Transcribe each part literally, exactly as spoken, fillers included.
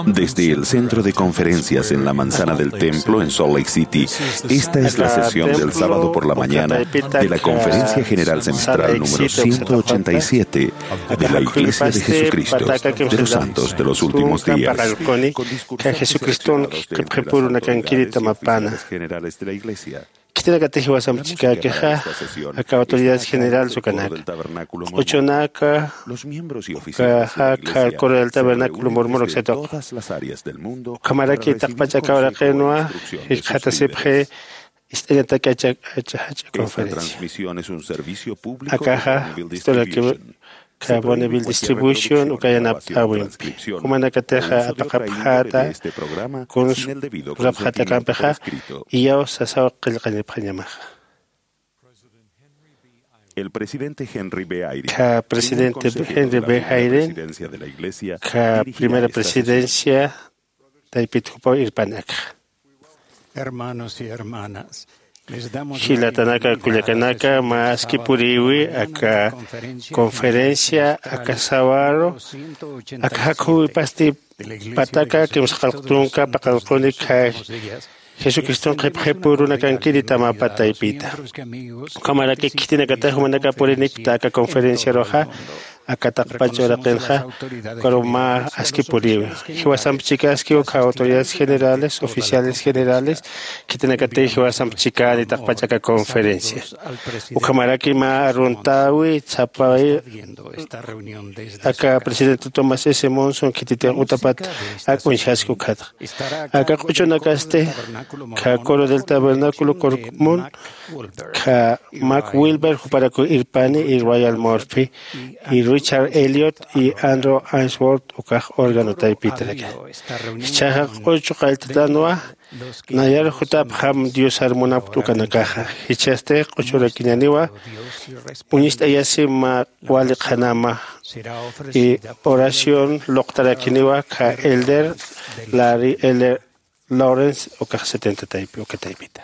Desde el centro de conferencias en la manzana del templo en Salt Lake City, esta es la sesión del sábado por la mañana de la Conferencia General Semestral número ciento ochenta y siete de la Iglesia de Jesucristo de los Santos de los Últimos Días. Jesucristo Khitinakatix jiwasamp chikakixa, aka autoridades generales ukanaka, q'uchunaka, ukaxa, aka coro del tabernáculo murmur uksatuqa. Ukhamaraki taqpach aka uraqinwa jikxatasipxi ist'añataki acha acha jach'a conferencia. Akaxa, historia que Carboneville Distribution uka yanapt'äwimpi. Jumanakatixa apaqapxäta, kuns urapxäta akampixa, iyaw sasaw qillqañapxañamaxa. El presidente Henry B. Eyring, primer consejero de la primera presidencia de la Iglesia, dirigirá esta sesión. Taypit jupaw irpani akxa. Hermanos y hermanas, les damos la bienvenida a esta sesión de oración. Jilatanaka, kullakanaka, mä aski purïwi aka conferencia, aka sawaru, aka jakhuwipasti pataka kimsa qallq tunka paqallq uñi, Jesucriston qhipxipürunakankiri tamapa taypita. Ukhamaraki khitinakatix jumanaka purinikta aka conferenciaruxa, aka taqpach uraqinxa, ukaru mä aski puriwi. Jiwasamp chikaski uka autoridades generales, oficiales generales, khitinakatix jiwasamp chikani taqpach aka conferencia. Ukhamaraki mä aruntäwi, sapay, aka presidente Thomas S. Monson khititix utapat ak uñjaski ukhatxa. Aka q'uchunakasti, kha Coro del Tabernáculo Corkmon, kha Mark Wilber juparaku irpani, y Royal Murphy, y Richard Elliot, y Andrew Ainsworth, ukax órgano taypitaraki. Jichhaxa q'uchu qalltatanwa, nayar jutapxam Diosar munapkt ukanakaxa. Jichhasti q'uchurakiñaniwa, uñist'ayasi mä wali qhanama, y oración luqtarakiniwa kha elder Larry Elder Lawrence, ukax setenta taypi, uka taypita.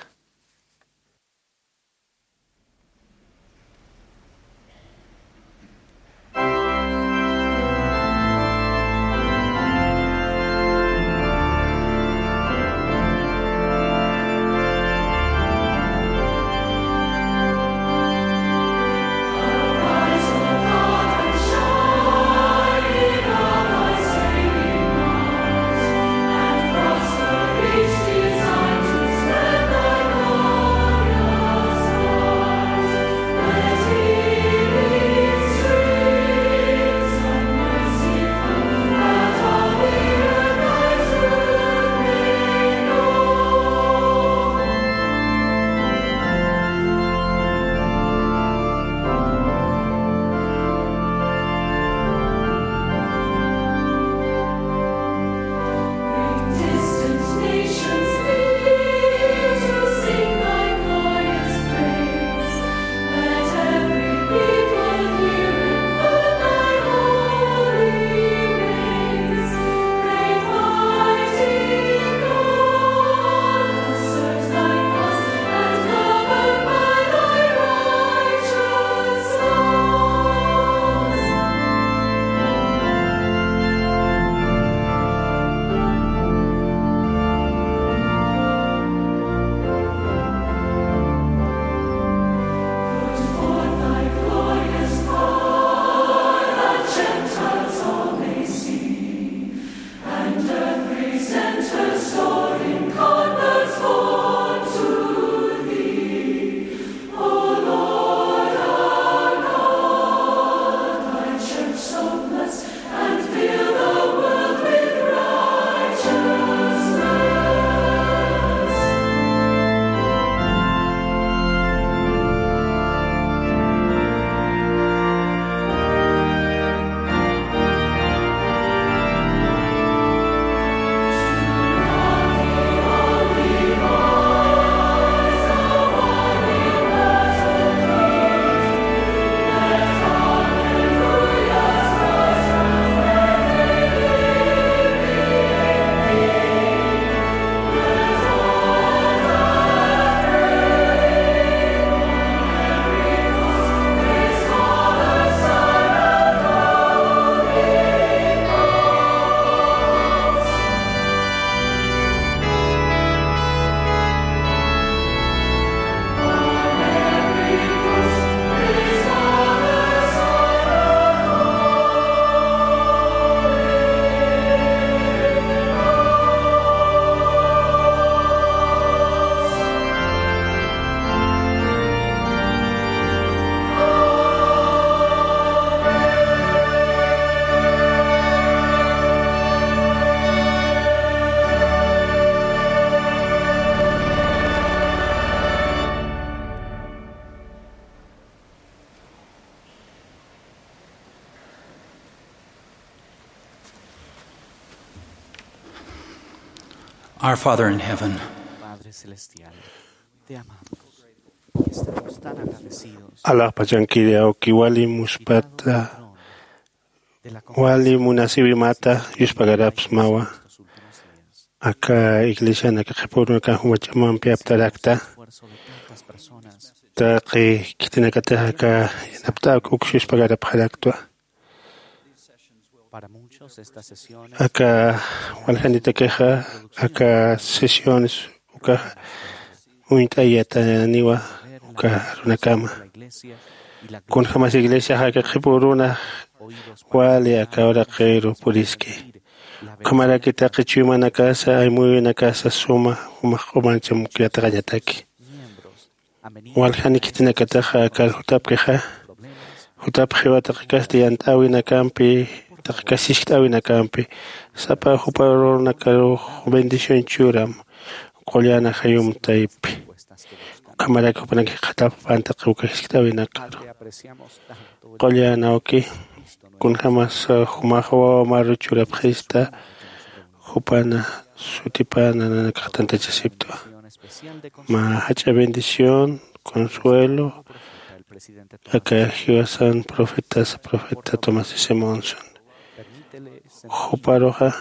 Our Father in heaven, Padre Celestial, te amamos. Estamos tan agradecidos. Alaxpachankiri awki, wali muspata, wali munasiwimata yuspagarapsmawa. Aka iglesian aka qhipürunaka jumach'amampi aptarakta. Taqi khitinakatix aka yanapt'awk uks yuspagarapxaraktwa. Aka waljanitakixa, aka sesiones ukaxa uñt'ayataniwa uka arunakama. Kunjämas iglesiax aka qhipüruna wali aka uraqiru puriski. Ukhamaraki taqi chuymanakasa, aymuyunakasa suma jumax q'umancham yatiqañataki. Waljan khitinakataxa akar jutapkixa, jutapxiwa taqi kasti yant'äwinakampi, taqi kasti siskt'äwinakampi, sapa jupa runakarux bendición churam, qullan ajayum taypi. Ukhamaraki jupanakax jikxatapapan taqi uka siskt'äwinakaru. Qullan awki, kunjämas jumax wawa maru churapxista, jupana sutipana nanakax tantachasiptwa. Mä jach'a bendición, consuelo, aka jiwasan profetasa, profeta Thomas S. Monson. Juparuxa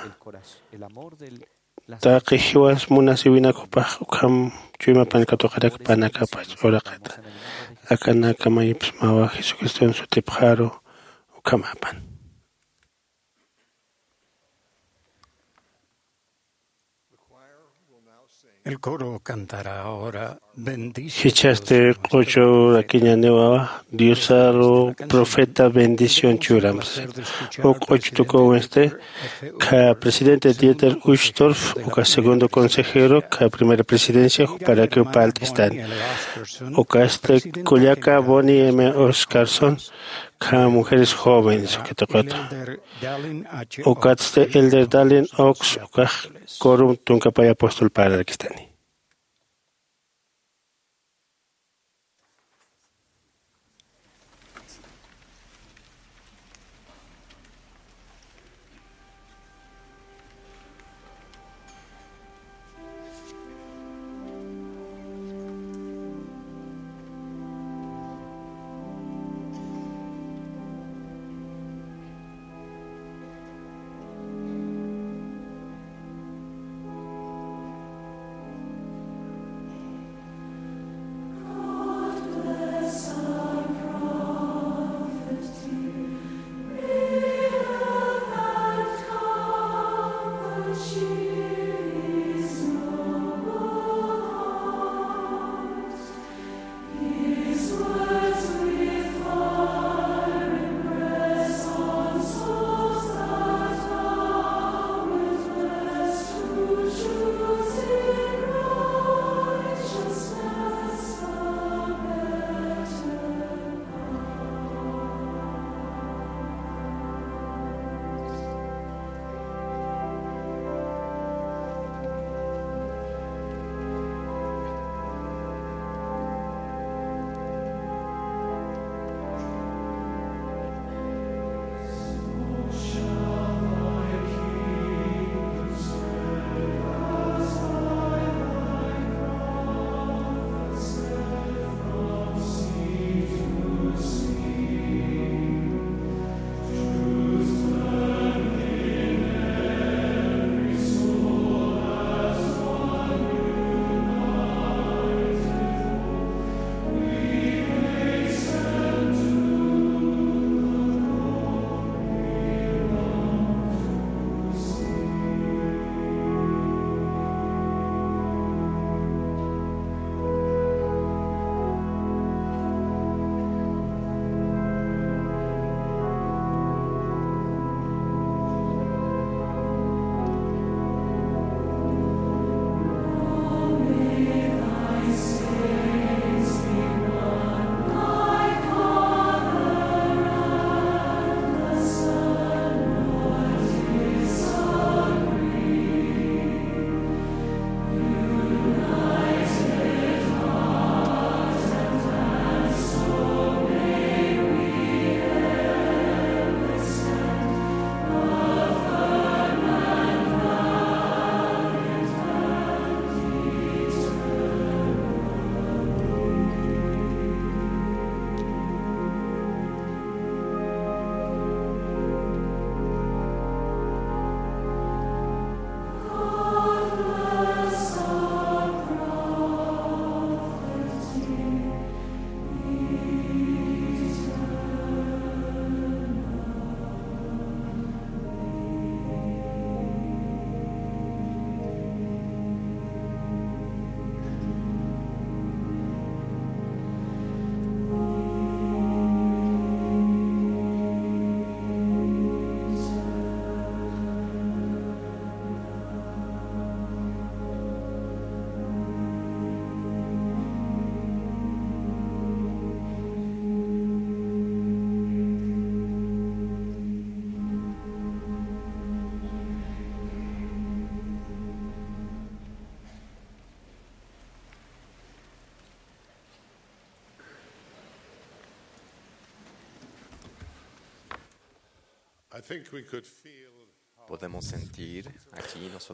taqi jiwas munasiwinak jupax ukham chuymapan katuqarakpanakapach uraqita. Akanaka mayipsmawa Jesucriston sutipxaru ukhamapan. El coro cantará ahora Bendice. Jichhasti q'uchurakiñaniwa Diosaru profeta bendición churam. Uk q'uch tukuwinsti, kha presidente Dieter Uchtdorf, uka segundo consejero, kha primera presidencia, juparakiw parlt'istani. Ukasti kullaka Bonnie M. Oscarson, kha mujeres jóvenes, uka tuqutu. Ukatsti Elder Dallin Oaks, ukax quorum tunkapay apóstol parlarkistani.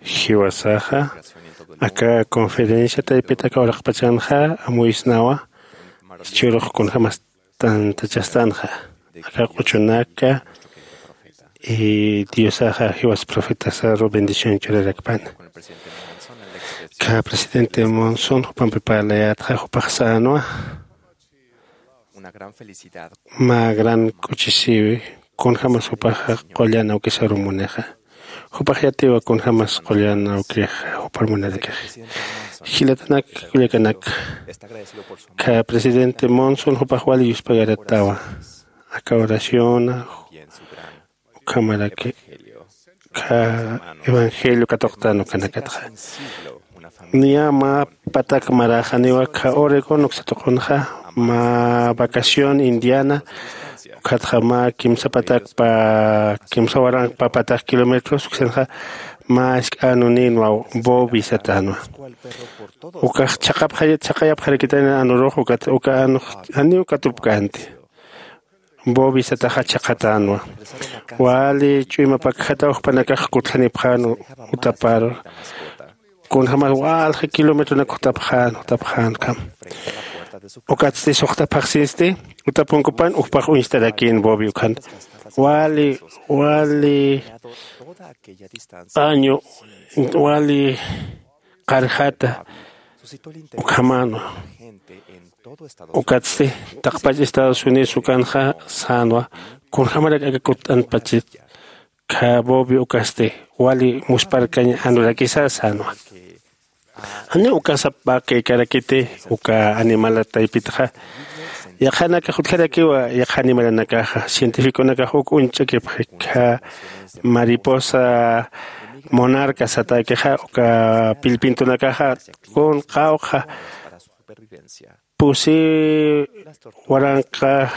Jiwasaxa aka conferencia taypit aka uraqpachanxa amuysnawa, churux kunjämas tantachastanxa aka q'uchunaka. Y diosaxa jiwas profetasaru bendición churarakpana. Ka presidente Monson jupampi parlayätxa jupax sänwa, mä gran k'uchisiwi kunjämas jupaxa qullan awkisaru munixa. Jupax yatiwa kunjämas qullan awkixa jupar munarakixa. Jilatanak kullakanak, ka presidente Monson jupax wali yuspagaratwa aka oraciona ukhamaraki ka evangelio katuqtan ukanakatxa. Niya mä patak maräxaniwa ka Oregon uksatuqunxa, mä vacación Indiana ukhatxa mä kimsa patak pa kimsa waranq pa patak kilómetros uksanxa mä isk'anuninwa bobi satanwa. Ukax chhaqapxayat chhaqayapxarakitani anurux ukat uka anux janiw katupkänti. Bobi sataxa chhaqatänwa. Wali ch'uymapakjataw jupanakax kutjanipxän utapar. Kunjämas walja kilometronak jutapxän jutapxän ukham. Ukatsti suxta phaxsinsti utapunkupan ujpax uñstarakïn bobi ukhan. Wali wali año wali qarjata ukhamänwa. Ukatsti taqpach Estados Unidos ukanxa sänwa, kunjämarak aka kutt'anpachit kha bobi ukasti wali musparkañ anurakisa sänwa. Janiw uka sapakïkarakiti uka animala taypitxa. Yaqhanakax utjarakiwa yaqha animalanakaxa cientificonakax uk uñch'akipxi kha mariposa monarca satäkixa uka pillpintunakaxa kun qawqha pusi waranqa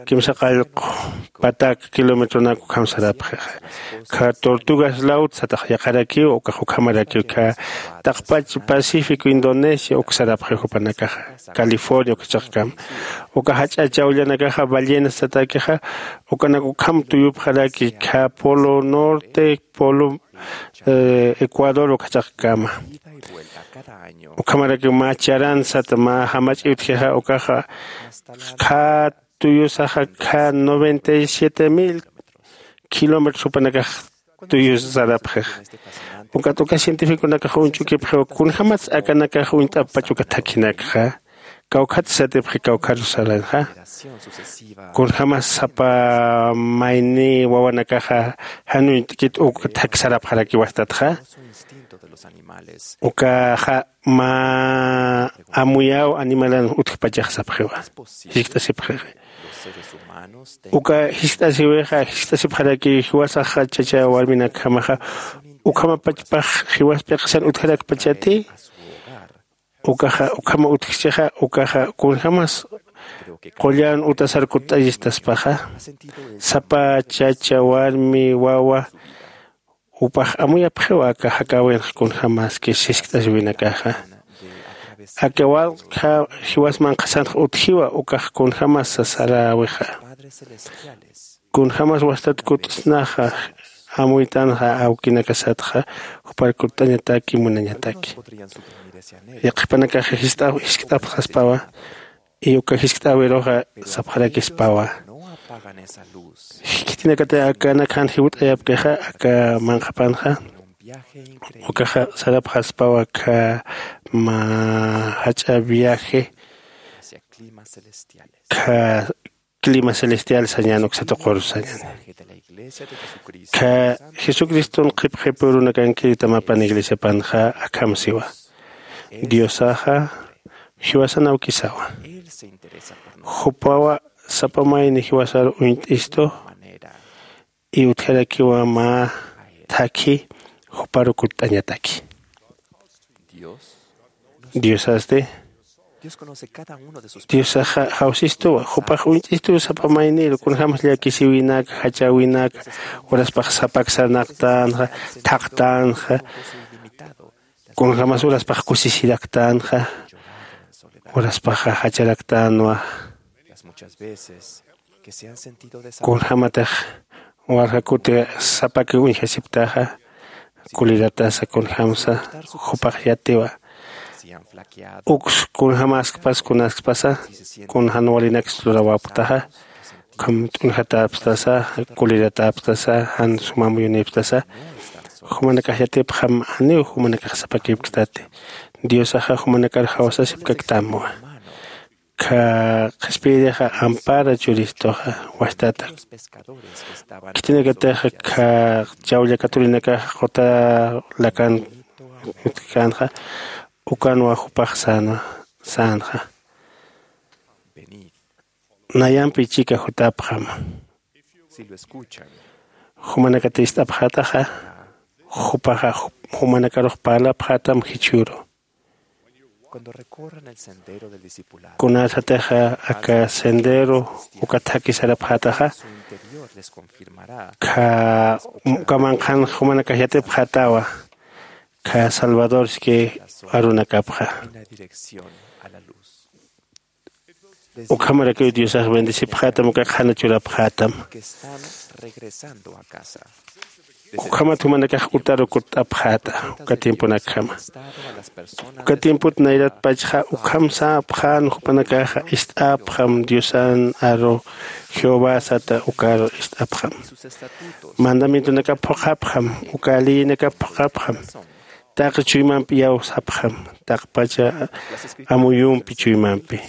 kimsa qallqu patak kilometronak ukham sarapxixa. Kha tortugas laut satax yaqharakiw ukax ukhamarakiw kha taqpach pacífico indonesia uk sarapxi jupanakaxa california ukachaqkama. Uka jach'a chawllanakaxa ballenas satakixa ukanak ukham tuyupxaraki kha polo norte polo ecuador ukachaqkama. Ukhamaraki mä charan sata mä jamach'i utjixa ukaxa kha tuyusaxa kha noventa y siete mil kilómetros jupanakax tuyus sarapxixa. Ukat uka cientificonakax uñch'ukipxiwa kunjämatsa akanakax uñt'apach uka thakhinakxa kawkhat satipxi kawkharu saranxa. Kunjämas sapa mayni wawanakaxa jan uñt'kit uk thak sarapxarakiwa satxa. Ukaxa mä amuyaw animalan utjpachax sapxiwa. Jiskt'asipxixi uka jiskt'asiwixa jiskt'asipxaraki jiwasaxa chacha warminakjamaxa ukhamapachpax jiwas p'iqisan utjarakpachati. Ukaxa ukhama utjchixa ukaxa kunjämas qullan utasar kutt'añistaspaxa. Sapa chacha warmi wawa jupax amuyapxiwa aka jakäwinx kunjämaski jiskt'asiwinakaxa. Aka walqha jiwas manqhasanx utjiwa ukax kunjämas sasaräwixa. Kunjämas wastat kutt'snaxa amuytanxa awkinakasatxa jupar kutt'añataki munañataki. Yaqhipanakaxa jiskt'apxaspawa y uka jiskt'äwiruxa sapxarakispawa. Khitinakatay akanakjan jiwt'ayapkixa aka manqhapanxa ukaxa sarapxaspawa kha mä jach'a viaje kha clima celestial sañan uksatuqur sañan. Kha jesucriston qhipxipurunakankirita mapan iglesiapanxa akham siwa. Diosaxa jiwasan awkisawa. Jupawa sapa mayni jiwasar uñt'istu y utjarakiwa mä thakhi juparu kutt'añataki. Diosasti diosaxa jawsistuwa jupax uñt'istuw sapa mayniru kunjämas llakisiwinak jachäwinak uraspax sapak sarnaqtänxa thaqtänxa kunjämas uraspax kusisiraktänxa uraspaxa jacharaktänwa. Kunjämatix Walja kuti sapakiw uñjasipktaxa, kuliratasa kunjämsa jupax yatiwa. Uks kunjämäskpas kunaskpasa, kun jan walinaksa lurawäpktaxa, ukham t'unjatäpstasa, kulirätäpstasa, jan sum amuyunïpstasa, jumanakax yatipxam, janiw jumanakax sapakïpkstati. Diosaxa jumanakar jawsasipkaktamwa. Kha qhispiyirixa ampara churistuxa wajtata. Khitinakatixa kha chawlla katurinakaxa quta lakan utjkänxa, ukanwa jupax sänwa, sänxa. Nayampi chika jutapxam. Jumanakat ist'apxätaxa, jupaxa jumanakarux parlapxätam jichhüru. Kunasatixa aka sendero uka thakhi sarapxätaxa, kha uka manqhan jumanakax yatipxätawa, kha salvadorski arunakapxa. Ukhamarakiw diosax bendecipxätam uka qhana churapxätam. Ukhamat jumanakax utaru kutt'apxäta uka tiemponakjama. Uka tiempot nayratpachxa ukham säpxän jupanakaxa ist'apxam diosan aru, jehová sata ukaru ist'apxam. Mandamientonakap phuqhapxam, uka leyinakap phuqhapxam. Taqi chuymampi iyawsapxam, taqpacha amuyumpi chuymampi.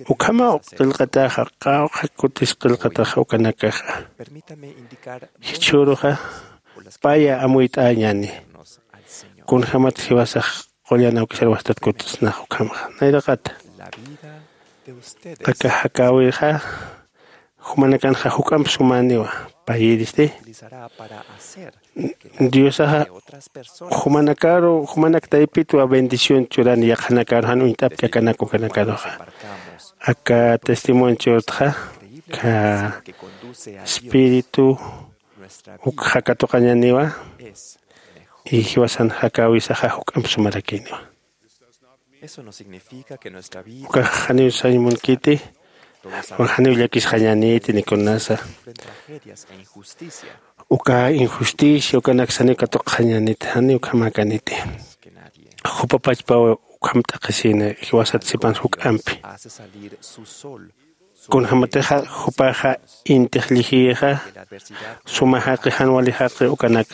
Ukhamaw qillqataxa, qawqha kutis qillqataxa ukanakaxa. Jichhüruxa paya amuyt'añäni. Kunjämat jiwasax qullan awkisar wajtat kutsnax ukhamxa nayraqata. Aka jakäwixa jumanakanxa juk'amp sumäniwa. Payïristi diosaxa jumanakaru jumanak taypitwa bendición churani yaqhanakaru jan uñt'apki akanak ukanakaruxa. Aka testimonio churtxa kha espíritu ukxa katuqañäniwa. Y jiwasan jakäwisaxa juk'amp sumarakïniwa. Ukax janiw sañ munkiti, janiw llakisxañäniti ni kunasa. Uka injusticia ukanaksa janiw katuqxañäniti, janiw ukhamäkäniti. Jupa pachpaw ukham t'aqhisïna jiwasat sipan juk'ampi. Kunjämatixa jupaxa intix llijiyixa suma jaqi jan wali jaqi ukanak.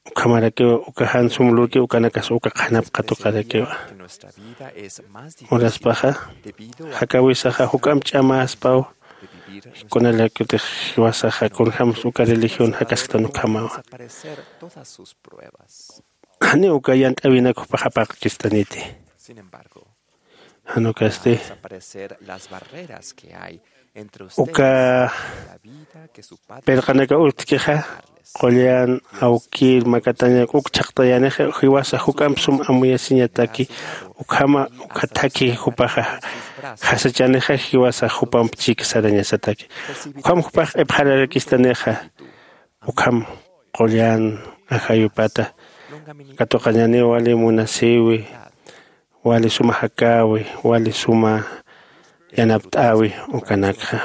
Ukhamarakiw uka jan sum lurki ukanakas uka qhanap katuqarakiwa. Uraspaxa jakäwisaxa juk'amp ch'amäspaw. Kunalakutix jiwasaxa kunjämsa uka religión jakasktan ukhamawa. Janiw uka yant'äwinak jupax apaqkistaniti. Jan ukasti uka pirqanakaw utjkixa qullan awkir makatañak uk chhaqtayänixa jiwasa juk'amp sum amuyasiñataki. Ukhama ukha thakhi jupaxa jasachänixa jiwasa jupamp chik sarañasataki. Ukham jupax q'ipxararakistanixa. Ukham qullan ajayupata katuqañäniw wali munasïwi, wali suma jakäwi, wali suma yanapt'äwi ukanakxa.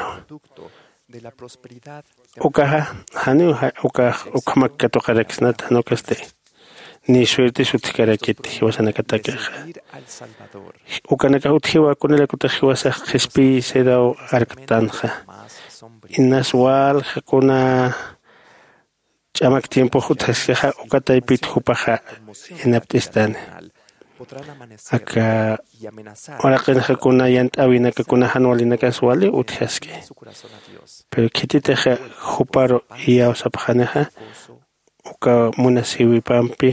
Ukaxa janiw ukax ukhamak katuqaraksnata jan ukasti. Ni suertes utjkarakiti jiwasanakatakixa. Ukanakax utjiwa kunalakutix jiwasax qhispiy seraw arktanxa. Inas walja kuna ch'amak tiempox utjaskixa uka taypit jupaxa yanapt'istani. Aka uraqinxa kuna yant'äwinaka kuna jan walinakas wali utjaski. Pero khititixa juparu iyawsapxanixa uka munasïwipampi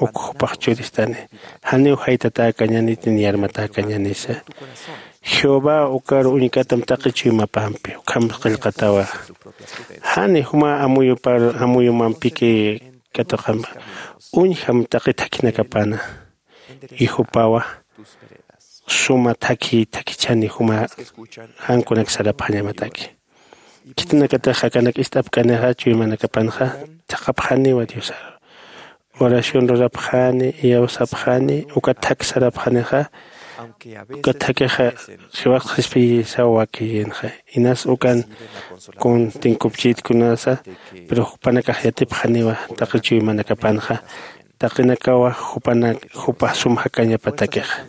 uk jupax churistani. Janiw jaytatäkañäniti ni armatäkañänisa. Jehová ukaru uñkatam taqi chuymapampi ukham qillqatawa. Jani juma amuyumampiki katuqampa uñjam taqi thakhinakapana. Y jupawa suma thakhi thakhichani juma jankunak sarapxañamataki. Khitinakatix jakanak ist'apkanixa chuymanakapanxa thaqhapxaniwa diosaru. Oración rurapxani iyawsapxani uka thak sarapxanixa. Ukat jakixa jiwasqa jispiyisaw wakiyinxa. Inas ukan kun tinkupchït kunasa, pero jupanakax yatipxaniwa taqi chuymanakapanxa. Taqinakawa jupanak jupa sum jakañapatakixa.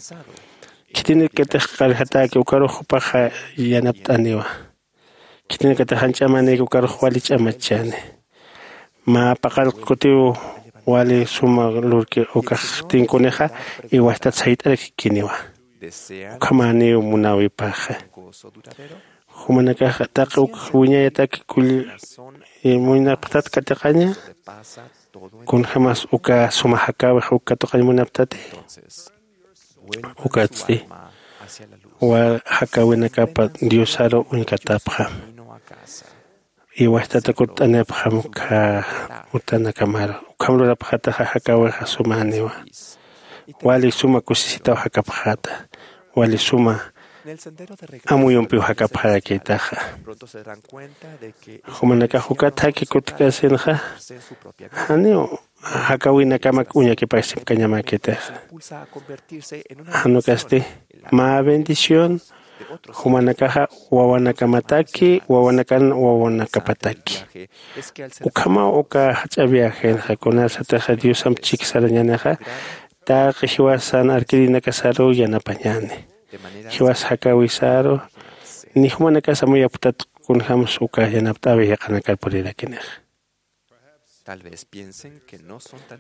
Khitinakatix qarjatäki ukarux jupaxa yanapt'aniwa. Khitinakatix jan ch'amanïki ukarux wali ch'amachchani. Mä paqallq kutiw wali suma lurki ukax tinkunixa, iwastat sayt'arakkiniwa. Ukhamäniw munäwipaxa. Jumanakaxa taqi uk wiñayatak kull muynapxtat katiqaña. Kunjämas uka suma jakäwix uk katuqañ munapxtati. Ukatsti jakäwinakapa diosaru uñkatapxam. Iwastata kutt'anipxam uka utanakamaru. Ukham lurapxataxa jakäwixa sumäniwa. Wali suma kusisitaw jakapxäta. Wali suma amuyumpiw jakapxarakïtaxa. Jumanakax ukat jaki kutk'asinxa janiw jakäwinakamak uñakipasipkañamäkitixa. Jan ukasti mä bendición jumanakaxa wawanakamataki wawanakan wawanakapataki. Ukhamaw uka jach'a viajenxa kunasatixa diosamp chik sarañänixa taqi jiwasan arkirinakasaruw yanapañäni. Jiwas jakäwisaru ni jumanakas amuyapktat kunjämsa uka yanapt'äwi jiqanakar purirakinixa.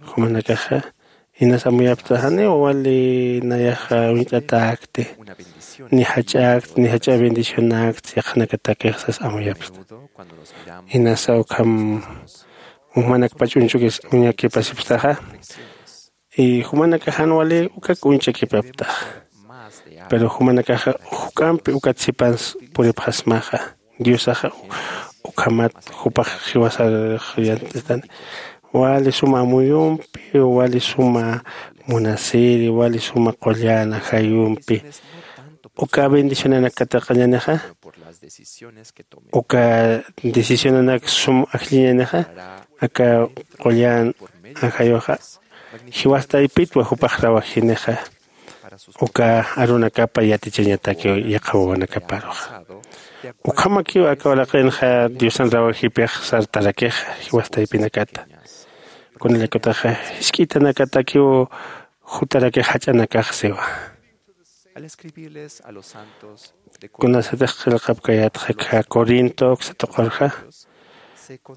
Jumanakaxa inas amuyapkta janiw wali nayaxa uñt'atäkti ni jach'äkti ni jach'a bendicionäkti yaqhanakatakix sas amuyapkta. Inasa ukham jumanakpach uñchukis uñakipasipktaxa. Y jumanakax jan wali ukak uñchakipapktaxa. Pero jumanakaxa juk'ampi ukat sipans puripxasmaxa. Diosaxa ukhamat jupax jiwasarix yant'istani. Wali suma amuyumpi wali suma munasiri wali suma qullan ajayumpi uka bendicionanak katiqañänixa. Uka decisionanak sum ajlliñänixa aka qullan ajayuxa jiwas taypitwa jupax rawajinixa. Uka arunakapa yatichañataki yaqha wawanakaparuxa. Ukhamakiw aka uraqinxa diosan rawajipix sartarakixa jiwas taypinakata. Kunallakutaxa jisk'ithanakatakiw jutarakix jach'anakax siwa. Kunasatix qillqapkayätxa corinto uksa tuqurxa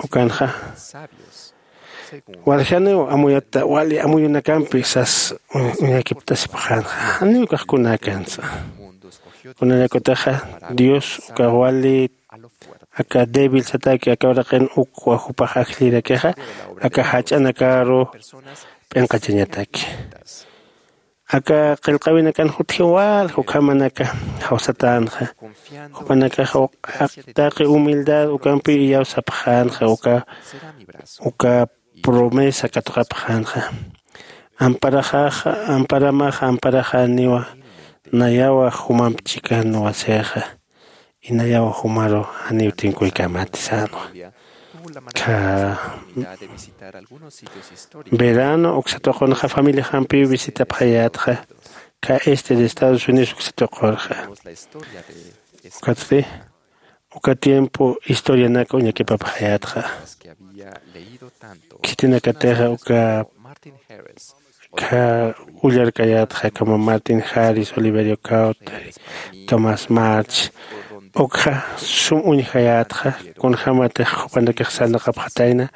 ukanxa. Waljaniw amuyatta wali amuyunakampi sas uñakiptasipxänxa. Janiw kaxkunakansa. Kunallakutaxa dios uka wali aka débil sataki aka uraqin ukwa jupax ajllirakixa aka jach'anakaru p'inqachañataki. Aka qillqäwinakan jutjiw walja ukhamanaka jawsatänxa. Jupanakaxa taqi humildad ukampiw iyawsapxänxa uka uka promesa katuqapxänxa. Amparamaxa amparamaxa amparaxäniwa. Nayawa jumamp chikan wasixa. Inayaw jumaru janiw tinkuykämäti sänwa. Kha verano uksa tuqunxa familiajampiw visitapxayätxa. Kha este de estados unidos uksa tuqurxa. Ukatsti uka tiempo historianak uñakipapxayätxa. Khitinakatixa uka kha ullarkayätxa kama martin harris oliverio caut, tomás march ukxa sum uñjayätxa. Kunjämatix jupanakix sarnaqapxatayna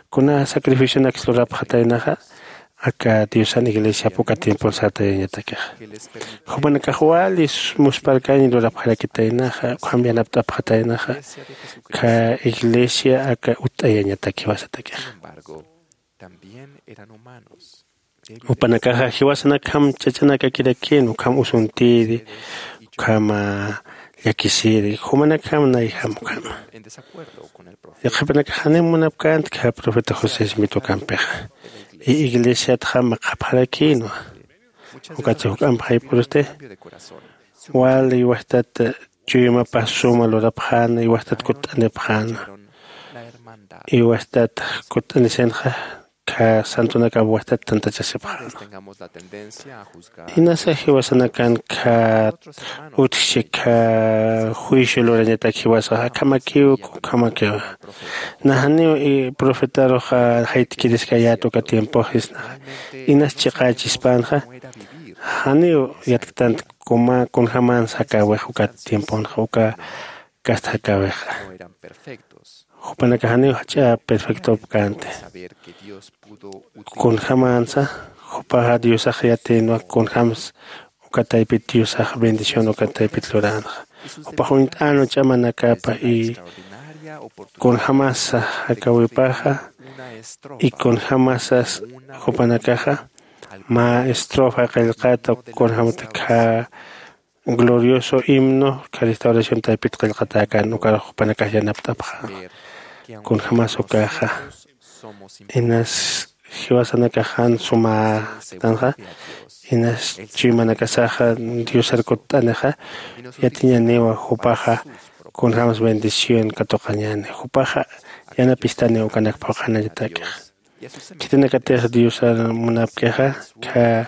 kuna sacrificionakis lurapxataynaxa. Aka diosan iglesiap uka tiempon sartayañatakixa jupanakax wali musparkañ lurapxarakitaynaxa ukham yanapt'apxataynaxa. Kha iglesia aka utt'ayañataki jiwasatakixa. Jupanakaxa jiwasanakjam ch'achanakakirakin ukham usuntiri ukhama llakisiri jumanakjam nayjam ukhama. Yaqhipanakax janiw munapkänti kha profeta josé smit ukampixa. Iglesiatxa maqhapxarakïnwa. Ukatsi juk'amp jayp'urusti wali iwastat chuymapas suma lurapxäna iwastat kutt'anipxäna. Iwastat kutt'anisinxa kha santunakap wajtat tantachasipxäna. Inasa jiwasanakan kha utjchi kha juicio lurañatak jiwasax akhamakiw kunkhamakiw. Najaniw profetaruxa jaytkiriskayät uka tiempoxisnaxa inas chiqächispänxa. Janiw yatktant kuma kunjamansa jakäwix uka tiemponxa uka kasta jakäwixa. Jupanakax janiw jach'a perfectopkänti. Kunjamansa jupaxa diosax yatïnwa kunjams uka taypit diosax bendición uka taypit luränxa. Jupax uñt'änwa ch'amanakapa y kunjamasa jakäwipaxa y kunjamasas jupanakaxa mä estrofa qillqata kunjamata kha glorioso himno kha restauración taypit qillqatäkän ukarux jupanakax yanapt'apxäna. Kunjamas ukaxa inas jiwasanakax jan sumätanxa inas chuymanakasaxa diosar kutt'anixa yatiñaniwa jupaxa kunjams bendición katuqañäni jupaxa yanapistaniw ukanak phuqhanañatakixa. Khitinakatix diosar munapkixa kha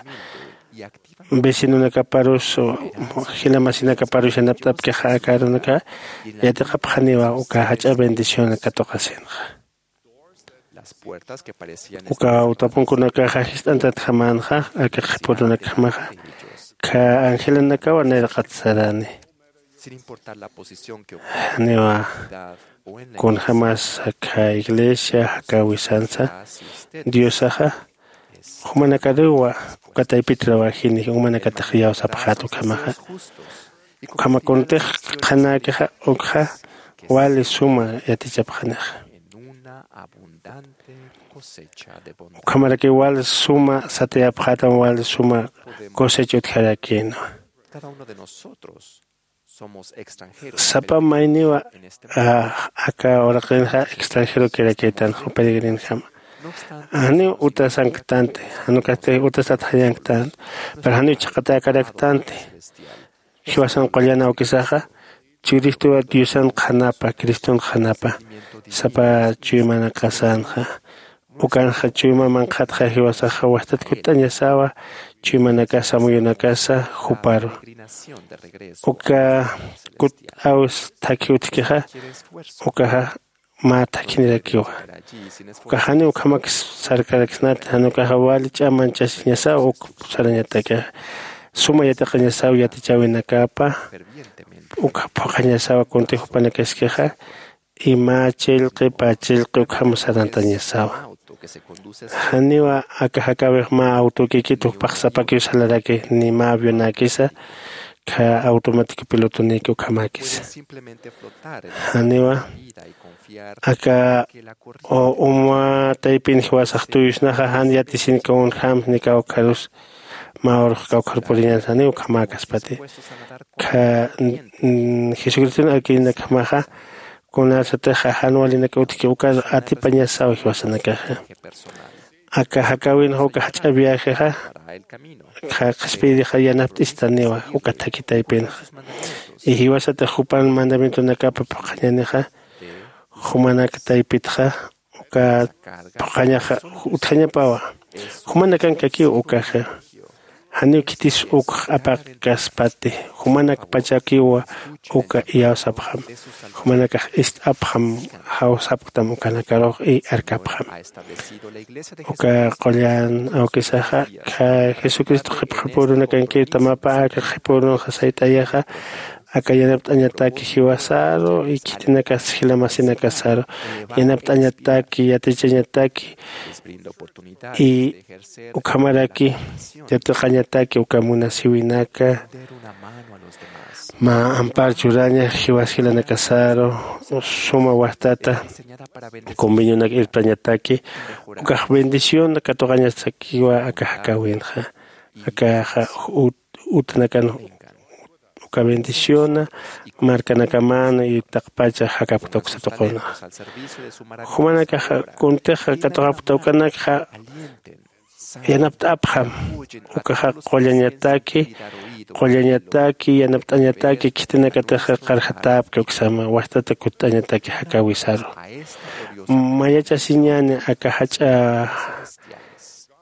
vecinonakaparus jila masinakaparus yanapt'apkixa aka arunaka yatiqapxaniwa uka jach'a bendición katuqasinxa. Uka awtapunkunakaxa jist'antatjamänxa aka qhipurunakjamaxa kha angelanakawa nayraqat sarani. Janiwa kunjämas aka iglesia jakäwisansa diosaxa jumanakaruwa uka taypit rawajini jumanakatix iyawsapxät ukhamaxa. Ukhama kuntix qhanäkixa ukxa wali suma yatichapxanixa. Ukhamaraki wali suma satayapxätam wali suma cosecha utjarakïnwa. Sapa mayniwa aka uraqinxa extranjerokirakïtanxa peregrinjama. Janiw utasanktanti jan ukasti utasat jayanktanti. Pero janiw chhaqatäkaraktanti. Jiwasan qullan awkisaxa churistuwa diosan qhanapa criston qhanapa sapa chuymanakasanxa. Ukanxa chuyma manqhatxa jiwasaxa wajtat kutt'añasawa chuymanakasa amuyunakasa juparu. Uka kutt'äwis thakhi utjkixa ukaxa mä thakhinirakiwa. Ukax janiw ukhamak sarkaraksnati jan ukaxa wali ch'amanchasiñasaw uk sarañatakixa. Suma yatiqañasaw yatichäwinakapa ukxa phuqhañasawa kunti jupanakaskixa. Ima chillqi pä chillqi ukham sarantañasawa. Janiwa aka jakäwix mä awtukikit jupax sapakiw salaraki ni mä avionäkisa kha automático pilotonïki ukhamäkisa. Janiwa aka uma taypin jiwasax tuyusnaxa jan yatisin kunjämsni kawkharus mä urux kawkhar puriñan janiw ukhamäkaspati. Kha jesucriston arkirinakjamaxa kunasatixa jan walinak utjki ukar atipañasaw jiwasanakaxa. Aka jakäwinxa uka jach'a viajexa kha qhispiyirixa yanapt'istaniwa uka thakhi taypinxa. Y jiwasatix jupan mandamientonakapa phuqhañanixa jumanak taypitxa uka phuqhañaxa utjañapawa. Jumanakankakiw ukaxa janiw khitis ukx apaqkaspati. Jumanakpachakiwa uka iyawsapxam. Jumanakax ist'apxam jawsapktam ukanakarux y arkapxam. Uka qullan awkisaxa kha jesucristo qhipxipürunakankiw tamapa aka qhipürunxa sayt'ayaxa aka yanapt'añataki jiwasaru y khitinakas jila masinakasaru yanapt'añataki yatichañataki y ukhamaraki yatiqañataki uka munasiwinaka mä ampar churaña jiwas jilanakasaru suma wajtata convenionak irptañataki ukax bendición katuqañasakiwa aka jakäwinxa. Akaxa utanakan uka bendiciona markanakaman y taqpacha jakapkta uksa tuquna. Jumanakaxa kuntixa katuqapkta ukanakxa yanapt'apxam ukaxa qullañataki qullañataki, yanapt'añataki, khitinakatix qarjatäpki uksama, wastata kutt'añataki jakäwisaru. Mayachasiñäni aka jach'a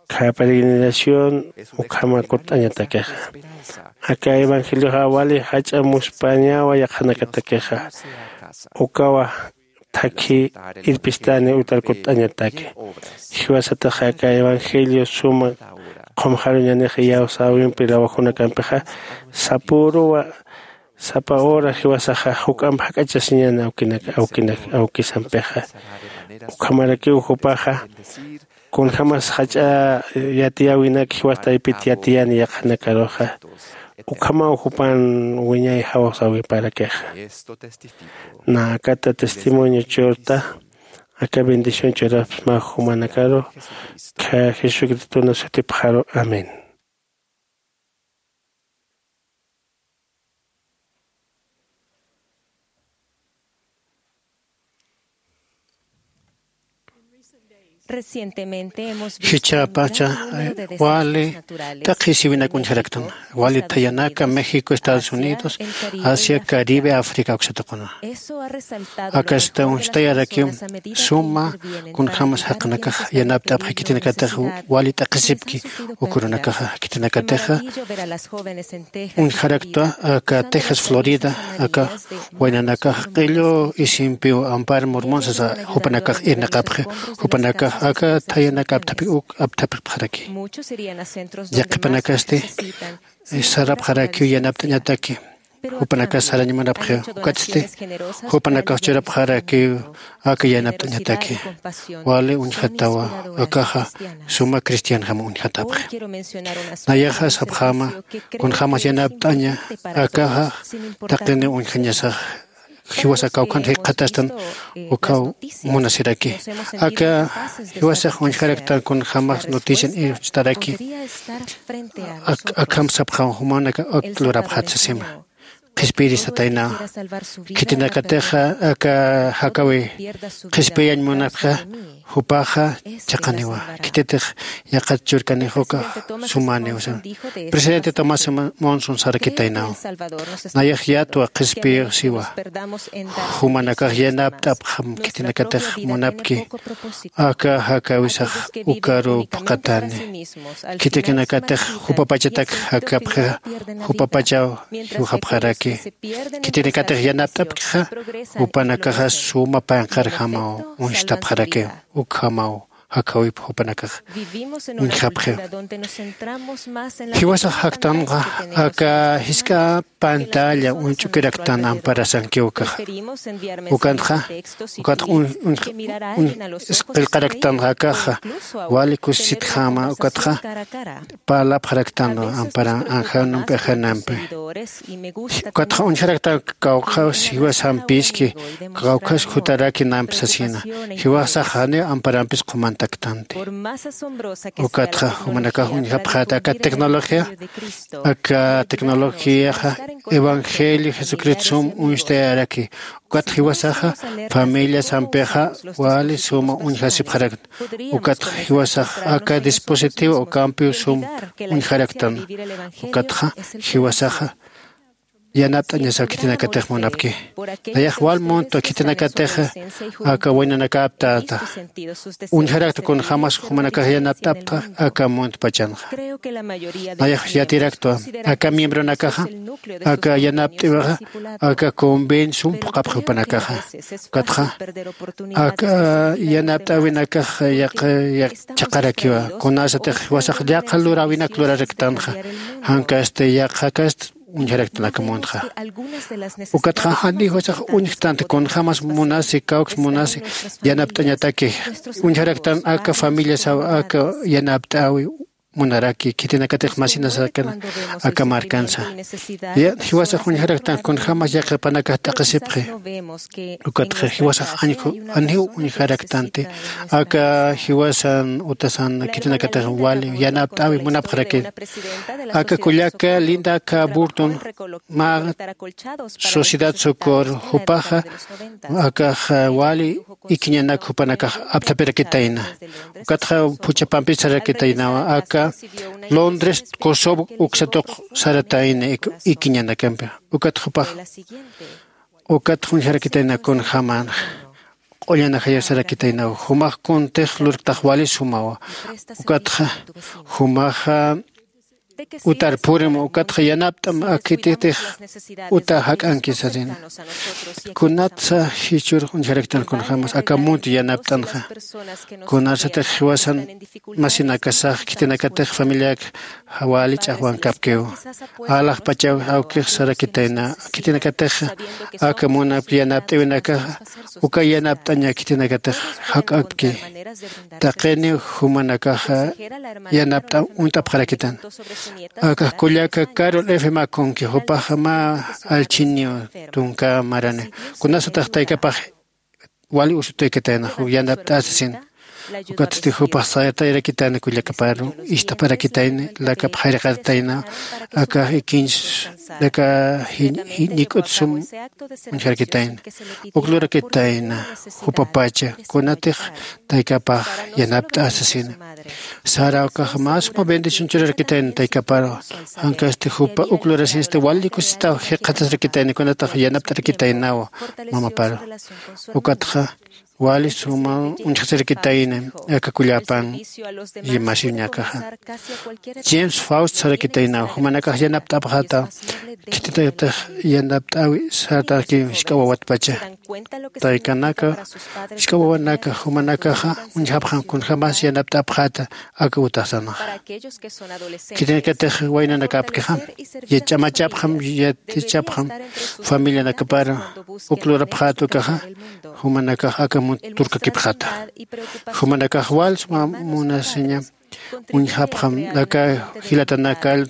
kha peregrinación ukhama kutt'añatakixa. Aka evangelioxa wali jach'a muspañawa yaqhanakatakixa. Ukawa thakhi irpistani utar kutt'añataki. Jiwasatix aka evangelio suma qhumxaruñanix iyawsäwimpi lawajunakampixa, sapüruwa sapa hora jiwasaxa juk'amp jak'achasiñäni awkinak awkinak awkisampixa. Ukhamarakiw jupaxa kunjämas jach'a yatiyäwinak jiwas taypit yatiyäni yaqhanakaruxa. Ukhamaw jupan wiñay jawsäwiparakixa. Nä akata testimonio churta aka bendición churapxsma jumanakaru. Kha jesucristona sutipxaru. Amén. Jichhapacha wali taqi siwinak uñjaraktan, wali thayanaka México, Estados Unidos, Asia, Caribe, África uksataquna. Akasta uñstayarakiw suma kunjämas jaqinakax yanapt'apxi khitinakatix wali t'aqhisipki uk urunakaxa khitinakatixa. Uñjaraktwa aka Texas, Florida, aka waynanakax q'illu isimpiw Ampar Mormon sasa jupanakax irnaqapxi, jupanakax aka thayanak apthapik uk apthapipxaraki. Yaqhipanakasti sarapxarakiw yanapt'añataki. Jupanakas sarañ munapxi, ukatsti jupanakax churapxarakiw aka yanapt'añataki. Wali uñjatawa, akaxa suma cristianjam uñjatapxi. Nayaxa sapxäma kunjämas yanapt'aña, akaxa taqiniw uñjañasax. Jiwasax kawkhan jikxatastan ukaw munasiraki. Aka jiwasax uñjaraktan kunjämas notician iwchtaraki. Akham sapxäma jumanaka akt lurapxät sasima. Qhispiyiristataynaw. Khitinakatixa aka jakäwi qhispiyañ munapxa, jupaxa chiqaniwa. Khititix yaqhat churkanix ukax sumäniw sasa. Presidente Tomás Monson sarakitaynaw. Nayax yatwa qhispiyix siwa. Jumanakax yanapt'apxam khitinakatix munapki. Aka jakäwisax ukaruw phuqhatäni. Khitikinakatix jupapachatak jakapxixa, jupapachaw jiwxapxaraki. Khitinakatix yanapt'apkixa, jupanakaxa suma panqharjamaw uñstapxaraki, ukhamaw jakäwip jupanakax uñjapxi. Jiwasax jaktanxa aka jisk'a pantalla uñch'ukiraktan amparasankiw ukaxa. Ukanxa, ukatxa uñ, uñ, uñ, qillqaraktanxa akaxa, wali kusisitjama, ukatxa parlapxaraktanwa ampara, anjanumpi, ajanampi. Ukatxa uñjaraktan kawkhaw jiwasampiski, kawkhas jutaraki nampi sasina. Jiwasax janiw amparampis qhumantaktanti. Ukatxa jumanakax uñjapxäta aka tecnología, aka tecnologiaxa evangelio Jesucristo sum uñstayaraki. Ukatxa jiwasaxa familiasampixa wali suma uñjasipxarakta. Ukatxa jiwasax aka dispositivo ukampiw sum uñjaraktan. Ukatxa jiwasaxa yanapt'añasaw khitinakatix munapki. Nayax wal muntwa khitinakatix aka waynanakaptata. Uñjarakta kunjämas jumanakax yanapt'apta aka muntpachanxa. Nayax yatiraktwa aka miembronakaxa aka yanapt'iwixa aka convenio sum phuqhapxi jupanakaxa. Ukatxa aka yanapt'äwinakax yaq, yaq chhaqarakiwa. Kunasatix jiwasax yaqha luräwinak luraraktanxa. Jankasti yaqhakasti uñjaraktan aka muntxa. Ukatxa janiw jiwasax uñjktanti kunjämas munasi, kawks munasi yanapt'añataki. Uñjaraktan aka familiasaw aka yanapt'äwi munaraki, khitinakatix masinasakana aka markansa. Ya, jiwasax uñjaraktan kunjämas yaqhipanakax t'aqhisipxi. Ukatxa jiwasax añju, janiw uñjaraktanti aka jiwasan utasan khitinakatix wali yanapt'äwi munapxaraki. Aka kullaka Linda K. Burton mä Sociedad Socorro, jupaxa akax wali ikiñanak jupanakax apthapirakitayna. Ukatxa phuchhapampis sarakitaynawa aka Londres, Kosovo uksatuq saratayna ikiñanakampi. Ukat jupax ukat uñjarakitayna kunjämänxa q'ullan ajayaw sarakitaynaw. Jumax kuntix lurktax wali sumawa. Ukatxa jumaxa utar purim, ukatxa yanapt'am akititix uta jak'anki sasina. Kunatsa jichhürux uñjaraktan kunjämas aka munt yanapt'anxa. Kunasatix jiwasan masinakasax khitinakatix familiak wali ch'axwankapkiw. Alaxpachaw awkix sarakitayna khitinakatix aka munapki yanapt'äwinakaxa uka yanapt'aña khitinakatix jak'apki. Taqiniw jumanakaxa yanapt'am uñt'apxarakitan. Akax kullaka Carol F. Maconki, jupaxa mä allchhiniw tunka marani. Kunasatix taykapax wali usutaykatäna yanapt'asasin. Ukatsti jupax saytayrakitani kullakaparu ist'aparakitayni lakap jayraqatatayna. Aka ikinch aka jiñik'ut sum uñjarakitayna. Uklurakitayna jupapacha kunatix taykapax yanapt'asasina. Sara ukax mä suma bendición churarakitayna taykaparu. Jankasti jupa uklurasisti wali kusisitaw jikxatasrakitayna kunatax yanapt'arakitaynawa mamaparu. Ukatxa wali suma uñjasirakitayna aka kullapan yimasiñakaxa. James Faust sarakitaynaw jumanakax yanapt'apxata. Khitinakatix yanapt'äwi sartaki jisk'a wawatpacha. Taykanaka jisk'a wawanaka jumanakaxa uñjapxam kunjämas yanapt'apxata aka utaxsanaxa. Khitinakatix waynanakapkixa ch'amachapxam yatichapxam familianakapar uklurapxäta ukaxa jumanakax aka munt turkakipxata. Jumanakax wal suma munasiña uñjapxam aka jilatanakar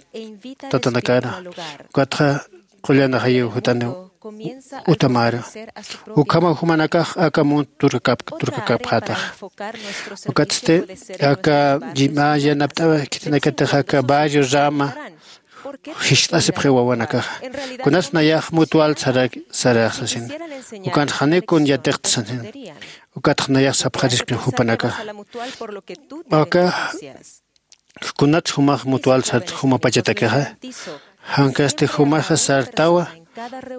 tatanakara. Ukatxa qullan ajayiw jutaniw utamara. Ukhamaw jumanakax aka munt turkakapxätax. Ukatsti aka mä yanapt'äwi khitinakatix aka barrio Rama jiskt'asipxi wawanakaxa. Kunas nayax mutual sarax sasin. Ukan janiw kun yatiqta sasin. Ukatxa nayax sapxariskin jupanakaxa. Aka kunat jumax mutual sart jumapachatakixa. Jankasti jumaxa sartawa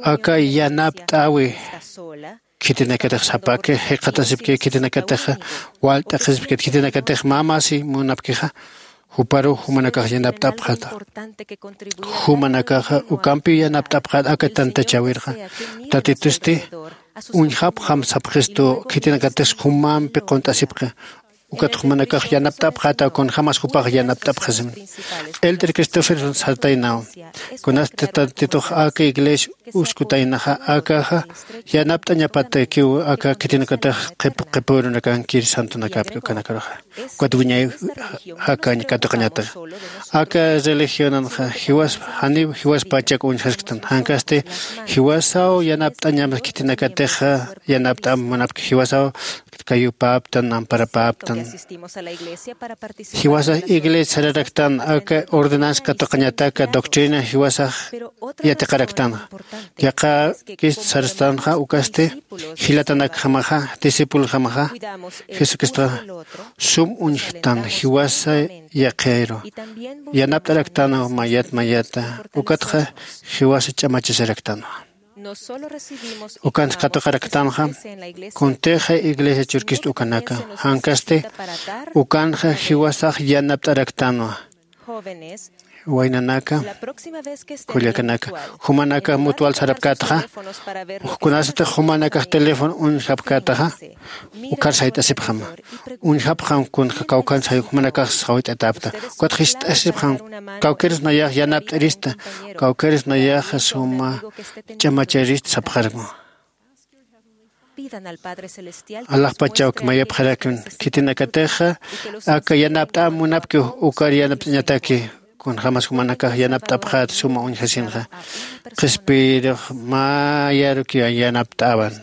aka yanapt'äwi khitinakatix sapaki jikxatasipki khitinakatixa walt'aqisipki khitinakatix mä masi munapkixa. Juparu jumanakax yanapt'apxata. Jumanakaxa ukampiw yanapt'apxata aka tantachäwirxa. Tatitusti uñjapxam sapxistu khitinakatix jumampi qunt'asipxi. Ukat jumanakax yanapt'apxata kunjämas jupax yanapt'apxasim. Elder Christopherson sartaynaw kunasti tatitux aka iglesia uskutaynaxa akaxa yanapt'añapatakiw aka khitinakatix qhipürunakankir santonakapki ukanakaruxa. Ukat wiñay jakañ katuqañataxa aka religionanxa jiwas janiw jiwaspachak uñjasktan jankasti jiwasaw yanapt'añam khitinakatixa yanapt'am munapki jiwasaw kayupäptan amparapäptan. Jiwasax iglesia sararaktan aka ordenanza katuqañataka doctrina jiwasax yatiqaraktan. Yaqhakist sarastanxa ukasti jilatanakjamaxa discipulojamaxa jesucristoxa sum uñjtan jiwasa yaqhiru yanapt'araktanwa mayat mayata. Ukatxa jiwasa ch'amachasaraktanwa. Ukansa katuqaraktanxa kuntixa iglesia churkist ukanaka jankasti ukanxa jiwasax yanapt'araktanwa. Waynanaka kullakanaka jumanaka mutual sarapkätaxa kunasatix jumanakax teléfono uñjapkätaxa ukhar sayt'asipxam uñjapxam kunxa kawkhansa jumanakax sawayt'atäpta. Ukat jist'asipxam kawkirus nayax yanapt'irista kawkirus nayax suma ch'amacharista sapxarma. Alaxpachawk mayapxarakun khitinakatixa aka yanapt'am munapki ukar yanapt'añataki. Kunjämas jumanakax yanapt'apxät suma uñjasinxa, qhispiyirux mayarukiw yanapt'awan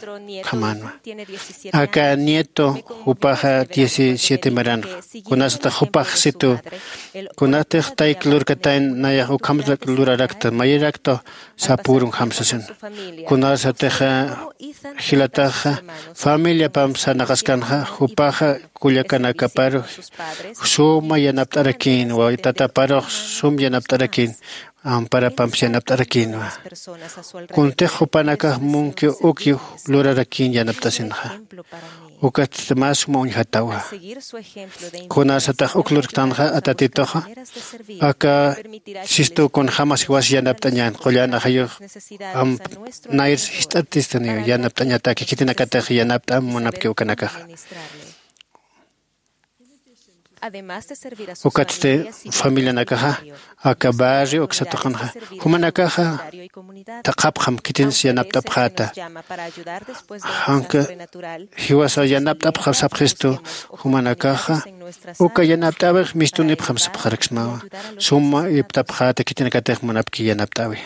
ukhamanwa. Aka nieto jupaxa diecisiete maranxa, kunasatix jupax situ, kunatix tayk lurkatayn nayax ukham lurarakta, mayirakta sapürunjam sasin. Kunasatix jilataxa familiapamp sarnaqaskanxa, jupaxa kullakanakaparu suma yanapt'arakïnwa, tataparux sum yanapt'arakïn, amparapamps yanapt'arakïnwa. Kuntix jupanakax munki uki lurarakïn yanapt'asinxa. Ukat mä suma uñjatawa. Kunasatix uk lurktanxa, a Tatituxa aka sistu kunjämas jiwas yanapt'añän, qullan ajayux amp nayr jist'atistaniw yanapt'añataki, khitinakatix yanapt'am munapki ukanakaxa. Ukatsti familianakaxa aka barrio uksa tuqinxa, jumanakaxa thaqhapxam khitins yanapt'apxäta. Janka jiwasa yanapt'apxam sapxistu, jumanakaxa uka yanapt'äwix mistunipxam sapxaraksmawa. Suma ipt'apxäta khitinakatix munapki yanapt'äwi.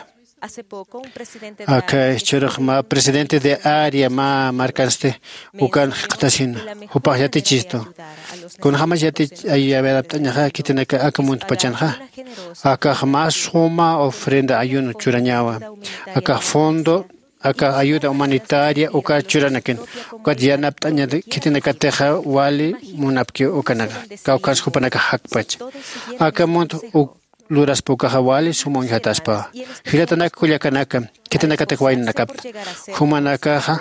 Aka jichhürux mä presidente de área mä markansti ukan jikxatasina, jupax yatichistu. Kunjämas yatich ay yanapt'añaxa khitinaka aka muntpachanxa, akax mä suma ofrenda ayuno churañawa. Akax fondo aka ayuda humanitaria uka churanakin, ukat yanapt'aña khitinakatixa wali munapki ukanaka, kawkhans jupanakax jakpacha. Aka munt uk luraspa ukaxa wali suma uñjataspa. Jilatanak kullakanaka, khitinakatix waynanakapta, jumanakaxa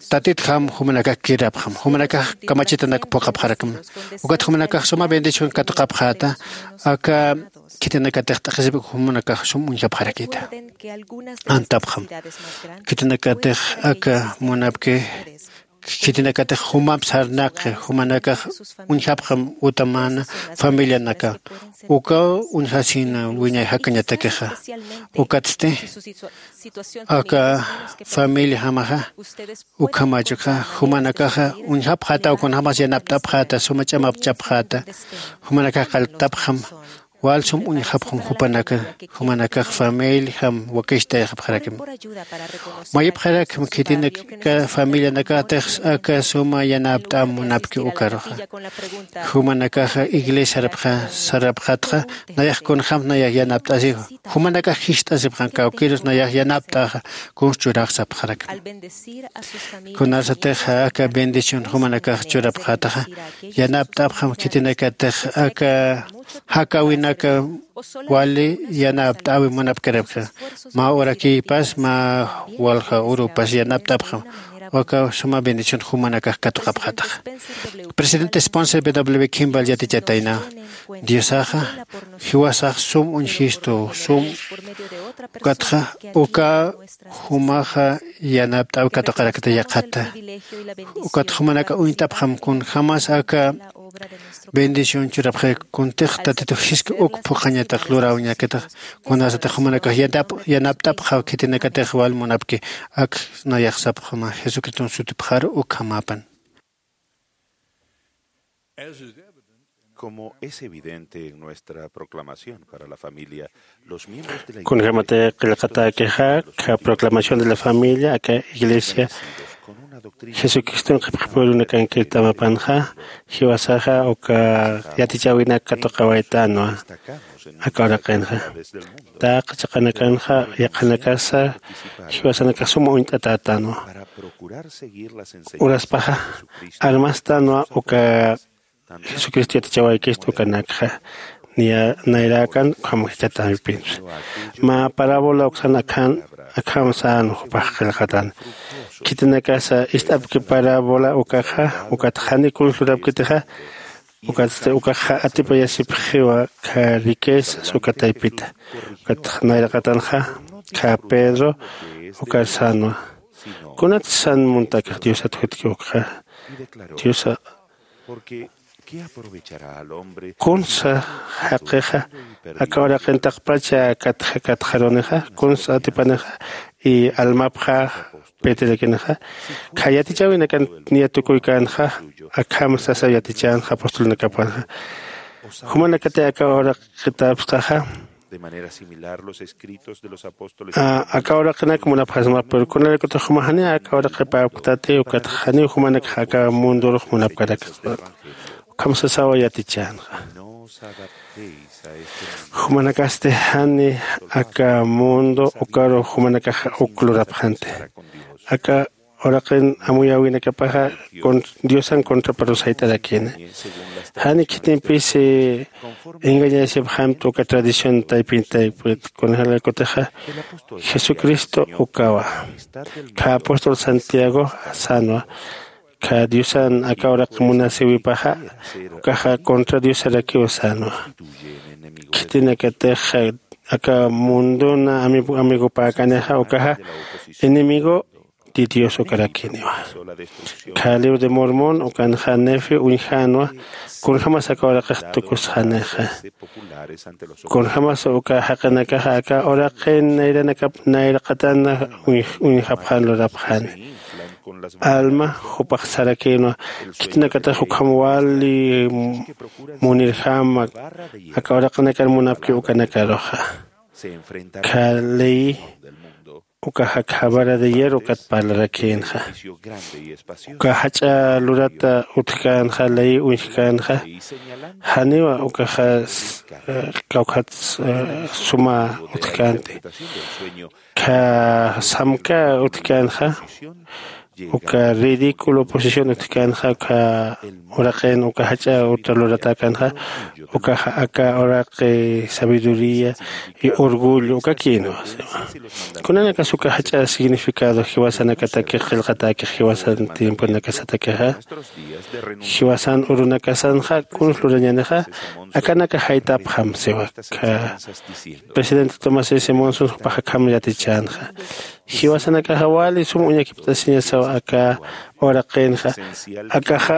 Tatitjam jumanakax kirapxam, jumanakax kamachitanak phuqhapxarakma. Ukat jumanakax suma bendición katuqapxäta, aka khitinakatix t'aqhisipki jumanakax sum uñjapxarakïta. Antapxam, khitinakatix aka munapki, khitinakatix jumamp sarnaqi, jumanakax uñjapxam utamana familianaka. Ukaw uñjasina wiñay jakañatakixa. Ukatsti aka familiajamaxa ukhamachukxa, jumanakaxa uñjapxätaw kunjämas yanapt'apxäta, suma ch'amapchapxäta, jumanakax qalltapxam, wal sum uñjapxam jupanaka, jumanakax familiajam wakichtayxapxarakma. Mayipxarakma khitinaka familianakatix aka suma yanapt'am munapki ukaruxa. Jumanakaxa iglesiarapxa sarapxatxa, nayax kunjämsa nayax yanapt'asiwa. Jumanakax jist'asipxam kawkïrus nayax yanapt'axa, kuns churax sapxarakma. Kunasatix aka bendición jumanakax churapxätaxa, yanapt'apxam khitinakatix aka jakäwinaka wali yanapt'äwi munapkarapxa. Mä urakïpas, mä walja urupas yanapt'apxam. Uka suma bendición jumanakax katuqapxätaxa. Presidente Spencer W Kimball yatichatayna, Diosaxa jiwasax sum uñjistu, sum ukatxa uka jumaxa yanapt'äw katuqarakta yaqhata. Ukat jumanaka uñtapxam kunjämas aka bendición churapxi, kuntix Tatitu Jisk uk phuqhañatax luräwiñakatax, kunasatix jumanakax yanap-, yanapt'apxaw khitinakatix wal munapki, ak nayax sapxama Jesucriston sutipxaru ukhamäpan. Como es evidente en nuestra proclamación para la familia, los miembros de la Kunjämatix qillqatäkixa, aka proclamación de la familia, aka iglesia Jesucriston qhipxipürunakankirtamapanxa, jiwasaxa uka yatichäwinak katuqawaytänwa. Aka uraqinxa, taqi chiqanakanxa yaqhanakasa jiwasanakax suma uñt'atätänwa. Uraspaxa armastänwa uka Jesucristo yatichawaykistu ukanakxa, niya nayrakan ukham jichhatäpinsa. Mä parábola uksan akhan, akham sän jupax qillqatan. Khitinakasa ist'apki parábola ukaxa, ukat jani kuns lurapkitixa, ukatsti ukaxa atipayasipxiwa aka riquezas uka taypita. Ukat nayraqatanxa aka Pedro ukar sänwa. Kunat sän muntakixa Diosat jutki ukxa. Diosa Kunsa jaqixa aka uraqin taqpacha katxa katxarunixa, kunsa atipanixa y almapxa pitirakinixa, kha yatichäwinakan niya tukuykänxa, akham sasa yatichänxa apostolnakapanxa. Jumanakati aka uraqitapxtaxa. De manera similar los escritos de los apóstoles. Aka uraqinak munapxasma pero kunalaykutix juma jani aka uraqipäpktati ukatxa janiw jumanakax aka mundurux munapkarak. Ukham sasawa yatichänxa. Jumanakasti jani aka mundo ukaru jumanakaxa uk lurapxanti. Aka uraqin amuyäwinakapaxa diosan contraparusayt'arakini. Jani khitimpisi engañaysipxamti uka tradición taypin taypit kunjalaykutixa jesucristo ukawa. Kha apóstol santiago sänwa kha diosan aka uraq munasïwipaxa ukaxa contra diosarakiw sänwa. Khitinakatix aka mundona amigopäkanixa ukaxa enemigo de dios ukarakiniwa. Kha libro de mormón ukanxa nefe uñjänwa kunjämas aka uraqix tukusxanixa. Kunjämas uka jaqinakaxa aka uraqin nayranakap nayraqatan uñjapxän lurapxäni. Alma jupax sarakïnwa khitinakatix ukham wali munirjama aka uraqinakan munapki ukanakaruxa. Kha ley ukaxa kha vara de hierro ukat parlarakïnxa. Uka jach'a lurata utjkänxa ley uñjkänxa. Janiwa ukaxa kawkhat suma utjkänti. Kha samka utjkänxa uka ridículo posición utjkänxa uka uraqin uka jach'a uta luratäkänxa. Ukaxa aka uraqi sabiduría y orgullo ukakïnwa. Kunanakas uka jach'a significado jiwasanakatakix qillqatäkix jiwasan tiemponakasatakixa jiwasan urunakasanxa kuns lurañänixa. Akanaka jaytapxam siwa kha presidente tomás s monson jupax akham yatichänxa. Jiwasanakaxa wali sum uñakipt'asiñasaw aka uraqinxa. Akaxa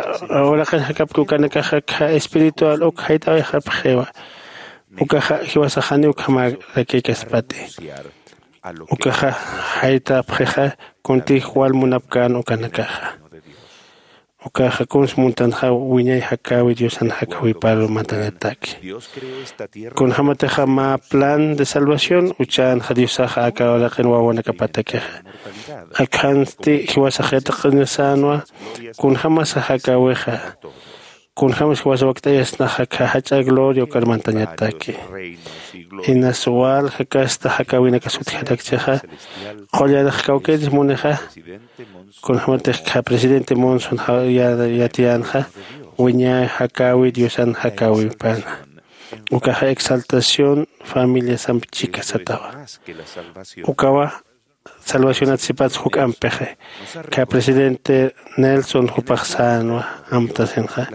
uraqin jakapki ukanakaxa kha espiritual uk jayt'awayxapxiwa. Ukaxa jiwasax janiw ukhamärakïkaspati. Ukaxa jaytapxixa kuntix wal munapkän ukanakaxa. Ukaxa kuns muntanxa wiñay jakäwi diosan jakäwiparu mantañataki. Kunjämatixa mä plan de salvación uchänxa diosaxa aka uraqin wawanakapatakixa. Akhansti jiwasax yatiqañasänwa kunjämasa jakäwixa. Kunjämas jiwasa wakt'ayasnaxa kha jach'a gloria ukar mantañataki. Inas wal jakasta jakäwinakas utjarakchixa qullarix kawkïris munixa. Kunjämatix kha presidente monson yatiyänxa wiñay jakäwi diosan jakäwipana. Ukaxa exaltación familiasamp chika satawa. Ukawa salvacionat sipats juk'ampixi. Kha presidente nelson jupax sänwa amtasinxa